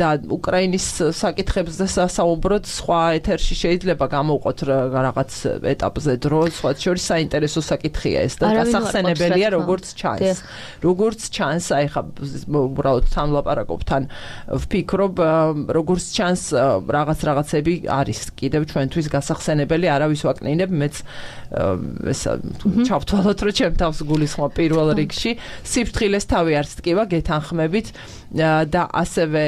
Speaker 1: და უკრაინის საკითხებზე საუბროთ სხვა ეთერში შეიძლება გამოვყოთ რაღაც ეტაპზე დრო, სხვა შორის საინტერესო საკითხია ეს და გასახსენებელია როგორც ჩანს. როგორც ჩანს, აი ხა უბრალოდ თან ვლაპარაკობთ, თან ვფიქრობ, როგორც ჩანს რაღაც რაღაცები არის კიდევ ჩვენთვის გასახსენებელი, არავის ვაკნინებ, მეც ეს ჩავთვალოთ, რომ ჩემ თავს გულისხმობ პირველ რიგში სიფრთხილეს თავი არც ტკივა გეთანხმებით და ასევე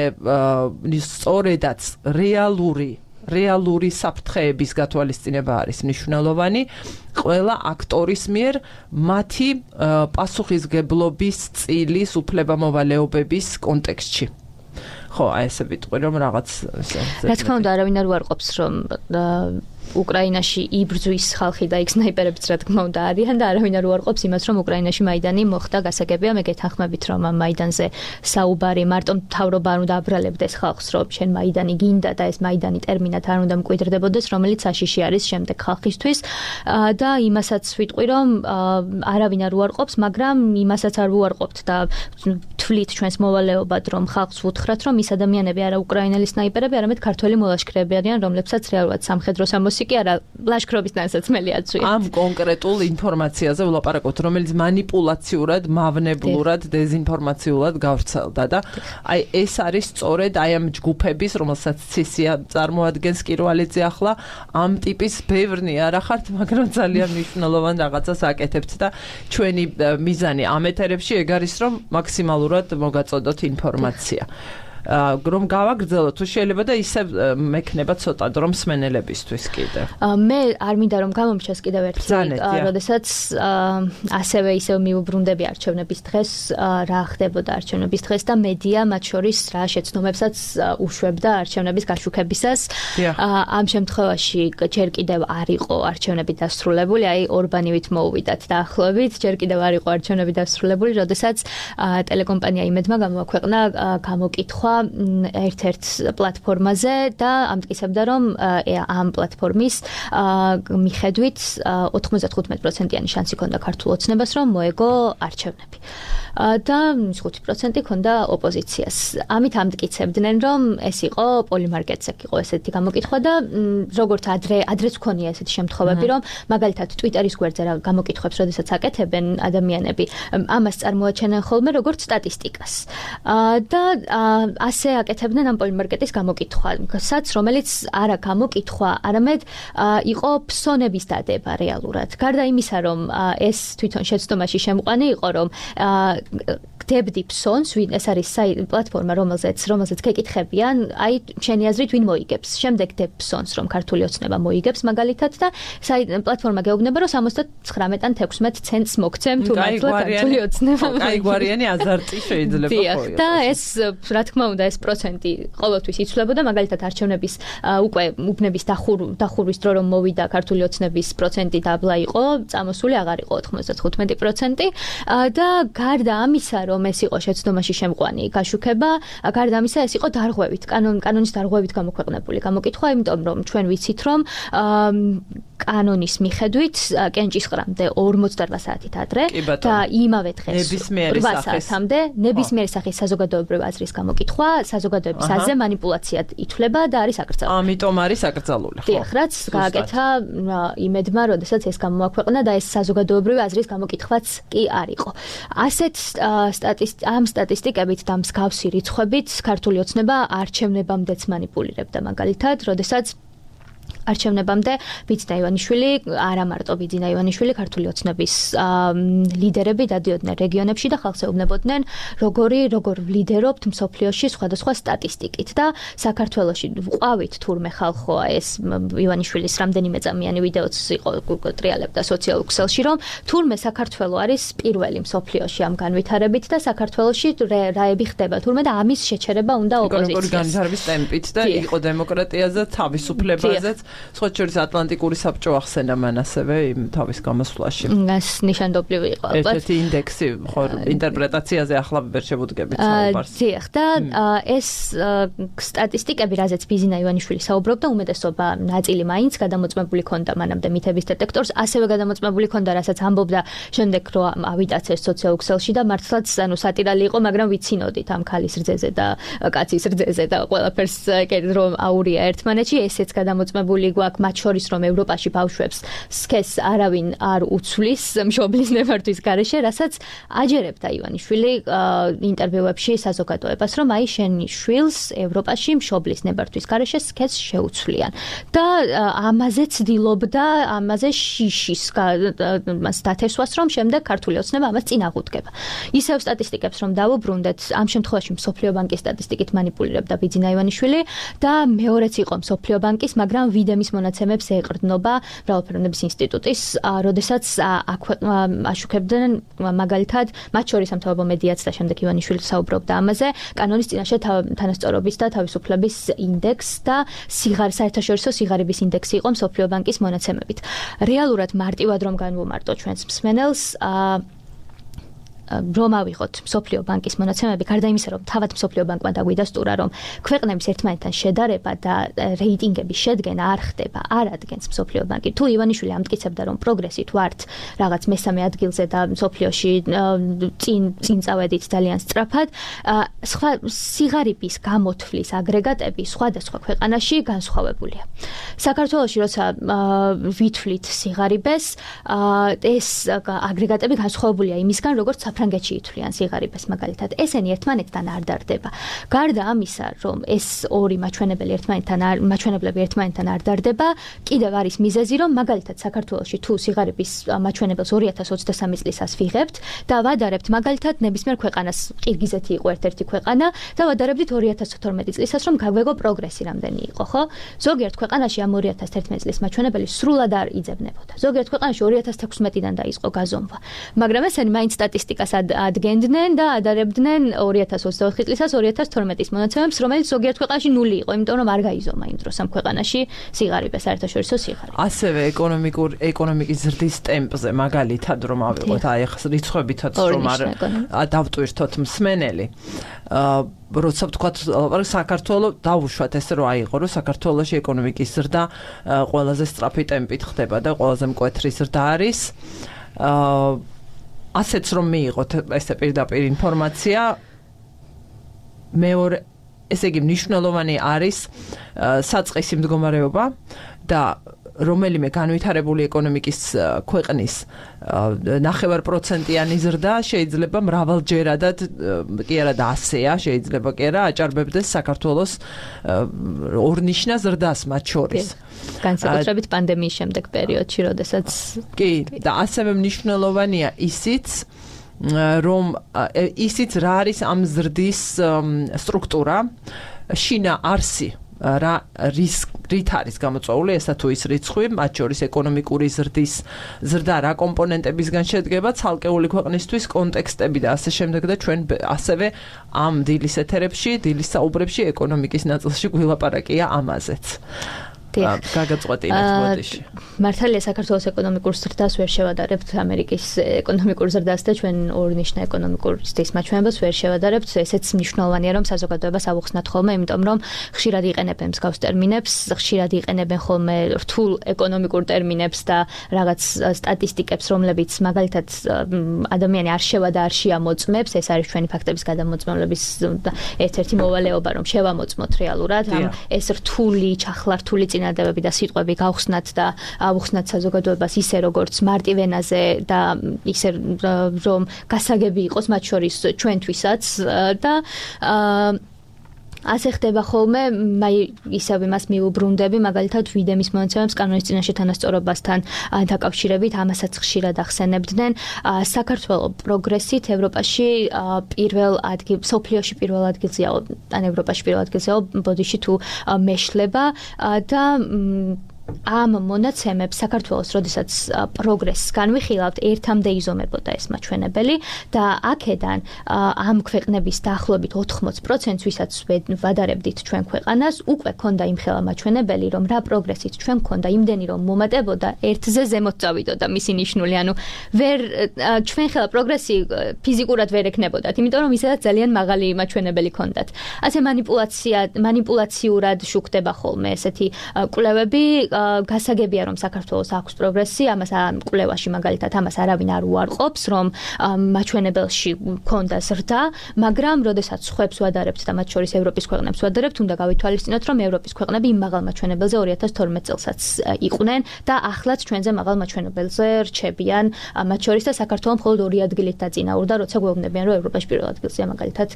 Speaker 1: სწორედაც რეალური რეალური საფრთხეების გათვალისწინება არის მნიშვნელოვანი ყველა აქტორის მიერ მათი პასუხისგებლობის წილის უფლებამოვალეობების კონტექსტში. ხო, აი ესე ვიტყვი, რომ რაღაც
Speaker 2: რა თქმა უნდა, არავინ არ უარყოფს, რომ უკრაინაში იბრძვის ხალხი და იქ სნაიპერებიც რა თქმა უნდა არიან და არავინ არ უარყოფს იმას, რომ უკრაინაში მაიდანი მოხდა გასაგებია, მე გეთანხმებით, რომ ამ მაიდანზე საუბარი მარტო მთავრობა არ უნდა აბრალებდეს ხალხს, რომ შენ მაიდანი გინდა და ეს მაიდანი ტერმინად არ უნდა მკვიდრდებოდეს, რომელიც საშიში არის შემდეგ ხალხისთვის და იმასაც ვიტყვი, რომ არავინ არ უარყოფს, მაგრამ იმასაც არ უარყოფთ და თვლით ჩვენს მოვალეობად, რომ ხალხს ვუთხრათ, რომ ის ადამიანები არა უკრაინელი სნაიპერები, არამედ ქართველი მოლაშქრეები არიან, რომლებსაც რეალურად სამხედრო სამოსი კი არა ლაშქრობის თანასაცმელი აწვიათ.
Speaker 1: ამ კონკრეტულ ინფორმაციაზე ვლაპარაკობთ, რომელიც манипуляციურად, მავნებლურად, დეზინფორმაციულად გავრცელდა და აი ეს არის სწორედ აი ამ ჯგუფების, რომელსაც ცისია წარმოადგენს კირვალიძე ახლა, ამ ტიპის ბევრნი არა ხართ, მაგრამ ძალიან მნიშვნელოვან რაღაცას აკეთებთ და ჩვენი მიზანი ამ ეთერებში ეგ არის, რომ მაქსიმალურად მოგაწოდოთ ინფორმაცია. რომ გავაგრძელოთ, თუ შეიძლება და ისე მექნება ცოტა დრო მსმენელებისთვის კიდე.
Speaker 2: მე არ მინდა რომ გამომჩეს კიდევ ერთი, როდესაც ასევე ისევ მიუბრუნდები არჩევნების დღეს, რა ხდებოდა არჩევნების დღეს და მედია მათ შორის რა შეცდომებსაც უშვებდა არჩევნების გაშუქებისას. ამ შემთხვევაში ჯერ კიდევ არ იყო არჩევნები დასრულებული, აი ორბანივით მოუვიდათ დაახლოებით, ჯერ კიდევ არ იყო არჩევნები დასრულებული, როდესაც ტელეკომპანია იმედმა გამოაქვეყნა გამოკითხვა ერთ-ერთ პლატფორმაზე და ამტკიცებდა, რომ ამ პლატფორმის მიხედვით ოთხმოცდახუთი პროცენტიანი შანსი ჰქონდა ქართულ ოცნებას, რომ მოეგო არჩევნები. და ხუთი პროცენტი ჰქონდა ოპოზიციას. ამით ამტკიცებდნენ, რომ ეს იყო პოლიმარკეტზე იყო ესეთი გამოკითხვა და როგორც ადრე ადრეც ჰქონია ესეთი შემთხვევები, რომ მაგალითად Twitter-ის გვერდზე რა გამოკითხვებს, როდესაც აკეთებენ ადამიანები, ამას წარმოაჩენენ ხოლმე როგორც სტატისტიკას. და ასე აკეთებდნენ ამ პოლიმარკეტის გამოკითხვასაც, რომელიც არა გამოკითხვა, არამედ იყო ფსონების დადება რეალურად. გარდა იმისა, რომ ეს თვითონ შეცდომაში შემყვანი იყო, რომ გდებდი ფსონს, ვინ ეს არის პლატფორმა, რომელზეც რომელზეც გეკითხებიან, აი შენი აზრით ვინ მოიგებს. შემდეგ გდებ ფსონს, რომ ქართული ოცნება მოიგებს მაგალითად და პლატფორმა გეუბნება, რომ სამოცდათხრამეტ ან თექვსმეტ ცენტს მოგცემ თუ მართლა ქართული ოცნება.
Speaker 1: აი გვარიანი აზარტი შეიძლება
Speaker 2: ხო. და ეს რა თქმა უნდა ეს პროცენტი ყოველთვის იცვლებოდა, მაგალითად არჩევნების უკვე უბნების დახურვის დრო რომ მოვიდა ქართული ოცნების პროცენტი დაბლა იყო, წამოსული აღარ იყო ოთხმოცდახუთი პროცენტი და გარდა ამისა, რომ ეს იყო შეცდომაში შემყვანი გაშუქება, გარდა ამისა ეს იყო დარღვევით, კანონის დარღვევით გამოქვეყნებული გამოკითხვა, იმიტომ რომ ჩვენ ვიცით, რომ კანონის მიხედვით კენჭისყრამდე ორმოცდარვა საათით ადრე და იმავე დღეს რვა საათამდე ნებისმიერი სახის საზოგადოებრივი აზრის გამოკითხვა საზოგადოების აზრზე манипуляციად ითვლება და არის აკრძალული.
Speaker 1: ამიტომ არის აკრძალული, ხო?
Speaker 2: დიახ, რაც გააკეთა იმედმა, როდესაც ეს გამოაქვეყნა და ეს საზოგადოებრივი აზრის გამოკითხვაც კი არ იყო. ასეთ ამ სტატისტიკებით და მსგავსი რიცხვებით ქართული ოცნება არჩევნებამდეც манипуლირებდა, მაგალითად, როდესაც არჩევნებამდე ბიძინა ივანიშვილი, არა მარტო ბიძინა ივანიშვილი, ქართული ოცნების ლიდერები დადიოდნენ რეგიონებში და ხალხს ეუბნებოდნენ, როგორი როგორ ვლიდერობთ მსოფლიოში სხვადასხვა სტატისტიკით და საქართველოში ვყავით თურმე ხალხო ეს ივანიშვილის რამდენიმე წამიანი ვიდეოც იყო ტრიალებდა სოციალურ ქსელში, რომ თურმე საქართველო არის პირველი მსოფლიოში ამ განვითარებით და საქართველოში რაები ხდება თურმე და ამის შეჩერება უნდა ოპოზიციას.
Speaker 1: როგორი განვითარების ტემპით და იყო დემოკრატიაზე, თავისუფლებაზე სხვა შორის ატლანტიკური საბჭო ახსენა მან ასევე იმ თავის გამოსვლაში.
Speaker 2: ეს ნიშანდობლივი იყო.
Speaker 1: ერთ-ერთი ინდექსი ხო ინტერპრეტაციაზე ახლა ვერ შევუდგებით საუბარს.
Speaker 2: დიახ, და ეს სტატისტიკები, რაზეც ბიძინა ივანიშვილი საუბრობდა, უმეტესობა ნაწილი მაინც გადამოწმებული ქონდა მანამდე მითების დეტექტორს, ასევე გადამოწმებული ქონდა, რასაც ამბობდა შემდეგ რომ ავიტაც ეს სოციალურ ქსელში და მართლაც ანუ სატირალი იყო, მაგრამ ვიცინოდით ამ ქალის რძეზე და კაცის რძეზე და ყველაფერს რომ აურია ერთმანეთში, ესეც გადამოწმებული გვაქვს, მათ შორის რომ ევროპაში ბავშვებს სქესს არავინ არ უცვლის მშობლის ნებართვის გარეშე, რასაც აჯერებდა ივანიშვილი ინტერვიუებში საზოგადოებას, რომ აი შენი შვილს ევროპაში მშობლის ნებართვის გარეშე სქესს შეუცვლიან და ამაზე ცდილობდა, ამაზე შიშის მას დათესვას, რომ შემდეგ ქართული ოცნება ამას წინ აღუდგება. ისევ სტატისტიკებს რომ დავუბრუნდეთ, ამ შემთხვევაში მსოფლიო ბანკის სტატისტიკით манипуლირებდა ბიძინა ივანიშვილი და მეორეც იყო მსოფლიო ბანკის, მაგრამ ვიდე ვიდემის მონაცემებს ეყრდნობა მრავალფეროვნების ინსტიტუტის, როდესაც აქ აშუქებდნენ მაგალითად მათ შორის სამთავრობო მედიაც და შემდეგ ივანიშვილი საუბრობდა ამაზე, კანონის წინაშე თანასწორობის და თავისუფლების ინდექს და სიღარ საერთაშორისო სიღარიბის ინდექსი იყო მსოფლიო ბანკის მონაცემებით. რეალურად მარტივად რომ განვუმარტო ჩვენს მსმენელს, რომ ავიღოთ მსოფლიო ბანკის მონაცემები, გარდა იმისა, რომ თავად მსოფლიო ბანკმა დაგვიდასტურა, რომ ქვეყნების ერთმანეთთან შედარება და რეიტინგების შედგენა არ ხდება, არ ადგენს მსოფლიო ბანკი. თუ ივანიშვილი ამტკიცებდა, რომ პროგრესით ვართ რაღაც მესამე ადგილზე და მსოფლიოში წინ წინ წავედით ძალიან სწრაფად, სხვა სიღარიბის გამოთვლის აგრეგატები სხვადასხვა ქვეყანაში განსხვავებულია. საქართველოში როცა ვითვლით სიღარიბეს, ეს აგრეგატები განსხვავებულია იმისგან, როგორც ფრანგეთში ითვლიან სიღარიბეს მაგალითად. ესენი ერთმანეთთან არ დარდება. გარდა ამისა, რომ ეს ორი მაჩვენებელი ერთმანეთთან არ მაჩვენებლები ერთმანეთთან არ დარდება, კიდევ არის მიზეზი, რომ მაგალითად საქართველოში თუ სიღარიბის მაჩვენებელს ორი ათას ოცდასამი წლისას ვიღებთ და ვადარებთ მაგალითად ნებისმიერ ქვეყანას, ყირგიზეთი იყო ერთ-ერთი ქვეყანა და ვადარებდით ორი ათას თორმეტი წლისას, რომ გაგვეგო პროგრესი რამდენი იყო, ხო? ზოგიერთ ქვეყანაში ამ ორი ათას თერთმეტი წლის მაჩვენებელი სრულად არ იძებნებოდა. ზოგიერთ ქვეყანაში ორი ათას თექვსმეტიდან დაიწყო გაზომვა. მაგრამ ესენი მაინც სტატისტიკას ადგენდნენ და ადარებდნენ ორი ათას ოცდაოთხი წლისას ორი ათას თორმეტის მონაცემებს, რომელიც ზოგიერთ ქვეყანაში ნული იყო, იმიტომ რომ არ გაიზომა იმ დროს ამ ქვეყანაში სიღარიბე, საერთაშორისო სიღარიბე.
Speaker 1: ასევე ეკონომიკურ ეკონომიკის ზრდის ტემპზე მაგალითად რომ ავიღოთ, აი ახლა რიცხვებითაც რომ არ დავტვირთოთ მსმენელი. აა როცა ვთქვათ, საქართველოს დავუშვათ ესე რომ აიღო, რომ საქართველოში ეკონომიკის ზრდა ყველაზე სწრაფი ტემპით ხდება და ყველაზე მკვეთრი ზრდა არის. აა ასეც რომ მიიღოთ ესე პირდაპირ ინფორმაცია, მეორე ესე იგი მნიშვნელოვანი არის საწყისი მდგომარეობა და რომელიმე განვითარებული ეკონომიკის ქვეყნის ნახევარპროცენტიანი ზრდა შეიძლება მრავალჯერადად კი არა და ასეა, შეიძლება კი არა აჭარბებდეს საქართველოს ორნიშნა ზრდას მათ შორის.
Speaker 2: განსაკუთრებით პანდემიის შემდეგ პერიოდში, როდესაც
Speaker 1: კი და ასევე მნიშვნელოვანია ისიც, რომ ისიც რა არის ამ ზრდის სტრუქტურა, შინა არსი რა რით არის გამოწვეული ესა თუ ის რიცხვი, მათ შორის ეკონომიკური ზრდის ზრდა რა კომპონენტებისგან შედგება, ცალკეული ქვეყნისთვის კონტექსტები და ასე შემდეგ და ჩვენ ასევე ამ დილის ეთერებში, დილის საუბრებში ეკონომიკის ნაწილში გვილაპარაკია ამაზეც. გაგაწყვეტინეთ ბოდიში.
Speaker 2: მართალია საქართველოს ეკონომიკურ ზრდას ვერ შევადარებთ ამერიკის ეკონომიკურ ზრდას და ჩვენ ორნიშნა ეკონომიკურ ზრდის მაჩვენებელს ვერ შევადარებთ. ესეც მნიშვნელოვანია, რომ საზოგადოებას ავუხსნათ ხოლმე, იმიტომ რომ ხშირად იყენებენ მსგავს ტერმინებს, ხშირად იყენებენ ხოლმე რთულ ეკონომიკურ ტერმინებს და რაღაც სტატისტიკებს, რომლებიც მაგალითად ადამიანი არ შევა და არ შეამოწმებს. ეს არის ჩვენი ფაქტების გადამოწმებლების ერთ-ერთი მოვალეობა, რომ შევამოწმოთ რეალურად ამ ეს რთული, ჩახლართული წინადადებები და სიტყვები გავხსნათ და ავუხსნათ საზოგადოებას ისე როგორც მარტივენაზე და ისე რომ გასაგები იყოს მათ შორის ჩვენთვისაც და ასე ხდება ხოლმე, მე ისევ იმას მიუბრუნდები, მაგალითად ვიდემის მონაცემებს კანონის წინაშე თანასწორობასთან დაკავშირებით, ამასაც ხშირად ახსენებდნენ. საქართველოს პროგრესით ევროპაში პირველ ადგილ, მსოფლიოში პირველ ადგილზეა, ან ევროპაში პირველ ადგილზეა, ბოდიში თუ მეშლება და ამ მონაცემებს საქართველოს, როდესაც პროგრესს განვიხილავთ, ერთამდე იზომებოდა ეს მაჩვენებელი და აქედან ამ ქვეყნების დაახლოებით ოთხმოცი პროცენტს, ვისაც ვადარებდით ჩვენ ქვეყანას, უკვე ქონდა იმხელა მაჩვენებელი, რომ რა პროგრესით ჩვენ ქონდა იმდენი, რომ მომატებოდა ერთზე ზემოთ წავიდოდა მისი ნიშნული, ანუ ვერ ჩვენ ხელა პროგრესი ფიზიკურად ვერ ექნებოდათ, იმიტომ რომ ისედაც ძალიან მაღალი მაჩვენებელი ქონდათ. ასე манипуляция, манипуляციურად შუქდება ხოლმე ესეთი კვლევები. გასაგებია, რომ საქართველოს აქვს პროგრესი, ამას ამ კვლევაში მაგალითად ამას არავინ არ უარყოფს, რომ მაჩვენებელში ქონდა ზრდა, მაგრამ როდესაც ხვებს ვადარებთ და მათ შორის ევროპის ქვეყნებს ვადარებთ, უნდა გავითვალისწინოთ, რომ ევროპის ქვეყნები იმ მაღალ მაჩვენებელზე ორი ათას თორმეტ წელსაც იყვნენ და ახლაც ჩვენზე მაღალ მაჩვენებელზე რჩებიან, მათ შორის და საქართველოს მხოლოდ ორი ადგილით დაწინაურდა, როცა გვეუბნებიან, რომ ევროპაში პირველ ადგილზეა მაგალითად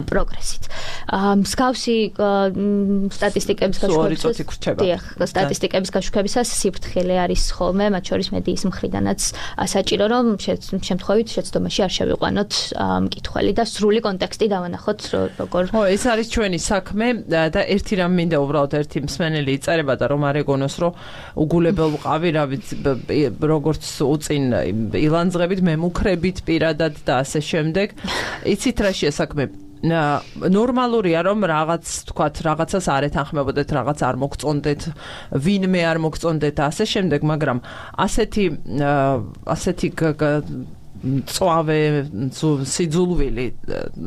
Speaker 2: პროგრესით. მსგავსი სტატისტიკების
Speaker 1: გაშუქებას, დიახ,
Speaker 2: სტატისტიკები ინფორმაციების გაშუქებისას სიფრთხილე არის ხოლმე, მათ შორის მედიის მხრიდანაც საჭირო, რომ შემთხვევით შეცდომაში არ შევიყვანოთ მკითხველი და სრული კონტექსტი დავანახოთ, როგორ.
Speaker 1: ხო, ეს არის ჩვენი საქმე და ერთი რამ მინდა უბრალოდ ერთი მსმენელი იწერება და რომ არ ეგონოს, რომ უგულებელ ვყავი, რა ვიცი, როგორც უწინ ილანძღებით, მემუქრებით პირადად და ასე შემდეგ. იცით რა შეასაქმე? ნორმალურია რომ რაღაც თქვათ რაღაცას არ ეთანხმებოდეთ, რაღაც არ მოგწონდეთ, ვინმე არ მოგწონდეთ და ასე შემდეგ, მაგრამ ასეთი ასეთი წვავე სიძულვილი,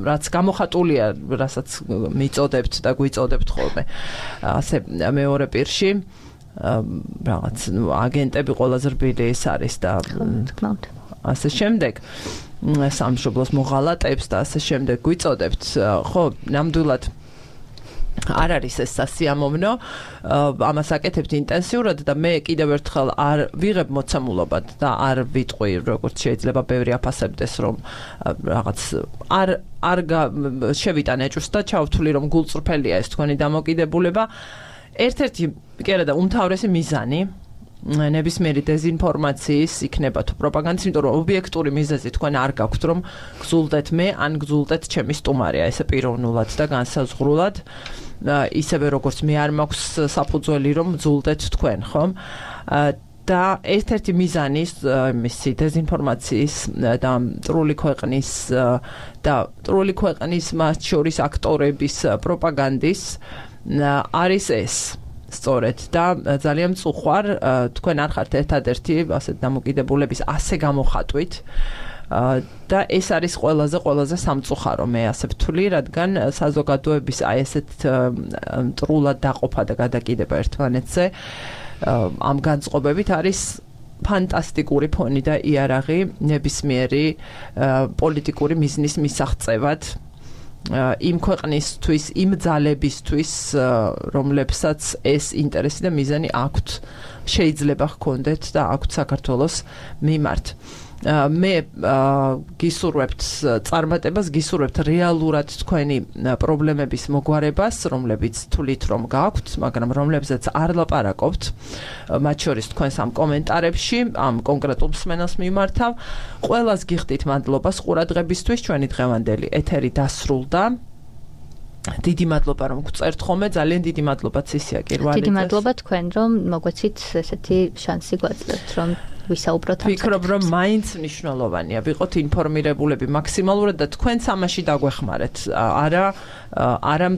Speaker 1: რაც გამოხატულია, რასაც მიწოდებთ და გვიწოდებთ ხოლმე. ასე მეორე პირში რაღაც აგენტები ყველაზე რბილი ეს არის და ასე შემდეგ. სამშობლოს მოღალატებს და ასე შემდეგ გვიწოდებთ. ხო, ნამდვილად არ არის ეს სასიამოვნო, ამას აკეთებთ ინტენსიურად და მე კიდევ ერთხელ არ ვიღებ მოცემულობად და არ ვიტყვი, როგორც შეიძლება ბევრი აფასებდეს, რომ რაღაც არ არ შევიტან ეჭვს და ჩავთვლი, რომ გულწრფელია ეს თქვენი დამოკიდებულება. ერთ-ერთი კი არა და უმთავრესი მიზანი ნებისმიერი დეзინფორმაციის იქნება თუ პროპაგანდის, იმიტომ რომ ობიექტური მიზეზი თქვენ არ გაქვთ, რომ გზულდეთ მე ან გზულდეთ ჩემი სტუმარია, ესე პიროვნულად და განსაზღვრულად, ისევე როგორც მე არ მაქვს საფუძველი, რომ გზულდეთ თქვენ, ხომ? და ერთ-ერთი მიზანი მისი დეзინფორმაციის და მტრული ქვეყნის და მტრული ქვეყნის მათ შორის აქტორების პროპაგანდის არის ეს. სწორედ და ძალიან მწუხვარ, თქვენ არ ხართ ერთადერთი ასეთ დამოკიდებულების ასე გამოხატვით და ეს არის ყველაზე ყველაზე სამწუხარო, მე ასე ვთვლი, რადგან საზოგადოების აი ესეთ მტრულად დაყოფა და გადაკიდება ერთმანეთზე ამ განწყობებით არის ფანტასტიკური ფონი და იარაღი ნებისმიერი პოლიტიკური მიზნის მისაღწევად. იმ ქვეყნისთვის, იმ ძალებისთვის, რომლებსაც ეს ინტერესი და მიზანი აქვთ, შეიძლება ჰქონდეთ და აქვთ საქართველოს მიმართ. მე გისურვებთ წარმატებას, გისურვებთ რეალურად თქვენი პრობლემების მოგვარებას, რომლებიც თვლით რომ გაქვთ, მაგრამ რომლებზეც არ ლაპარაკობთ, მათ შორის თქვენს ამ კომენტარებში, ამ კონკრეტულ მსმენელს მიმართავ. ყველას გიხდით მადლობას ყურადღებისთვის, ჩვენი დღევანდელი ეთერი დასრულდა. დიდი მადლობა რომ გწერთ ხოლმე, ძალიან დიდი მადლობა ცისია კირვალიძეს.
Speaker 2: დიდი მადლობა თქვენ რომ მოგვეცით ესეთი შანსი გვაძლევთ, რომ ვისაუბროთ ამ
Speaker 1: ვფიქრობ, რომ მაინც მნიშვნელოვანია ვიყოთ ინფორმირებულები მაქსიმალურად და თქვენც ამაში დაგვეხმარეთ. არა არა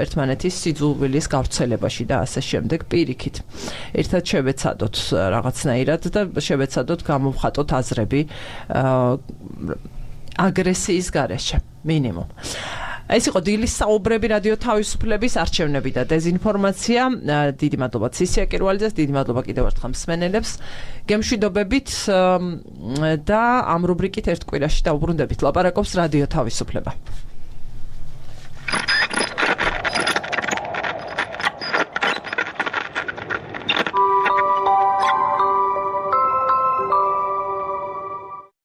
Speaker 1: ერთმანეთის სიძულვილის გავრცელებაში და ასე შემდეგ პირიქით. ერთად შევეცადოთ რაღაცნაირად და შევეცადოთ გამოვხატოთ აზრები აგრესიის გარეშე, მინიმუმ. ეს იყო დილის საუბრები რადიო თავისუფლების არჩევნები და დეзინფორმაცია. დიდი მადლობა ცისია კირვალიძეს, დიდი მადლობა კიდევ ერთხელ მსმენელებს. გემშვიდობებით და ამ რუბრიკით ერთ კვირაში დავუბრუნდებით. ლაპარაკობს რადიო თავისუფლება.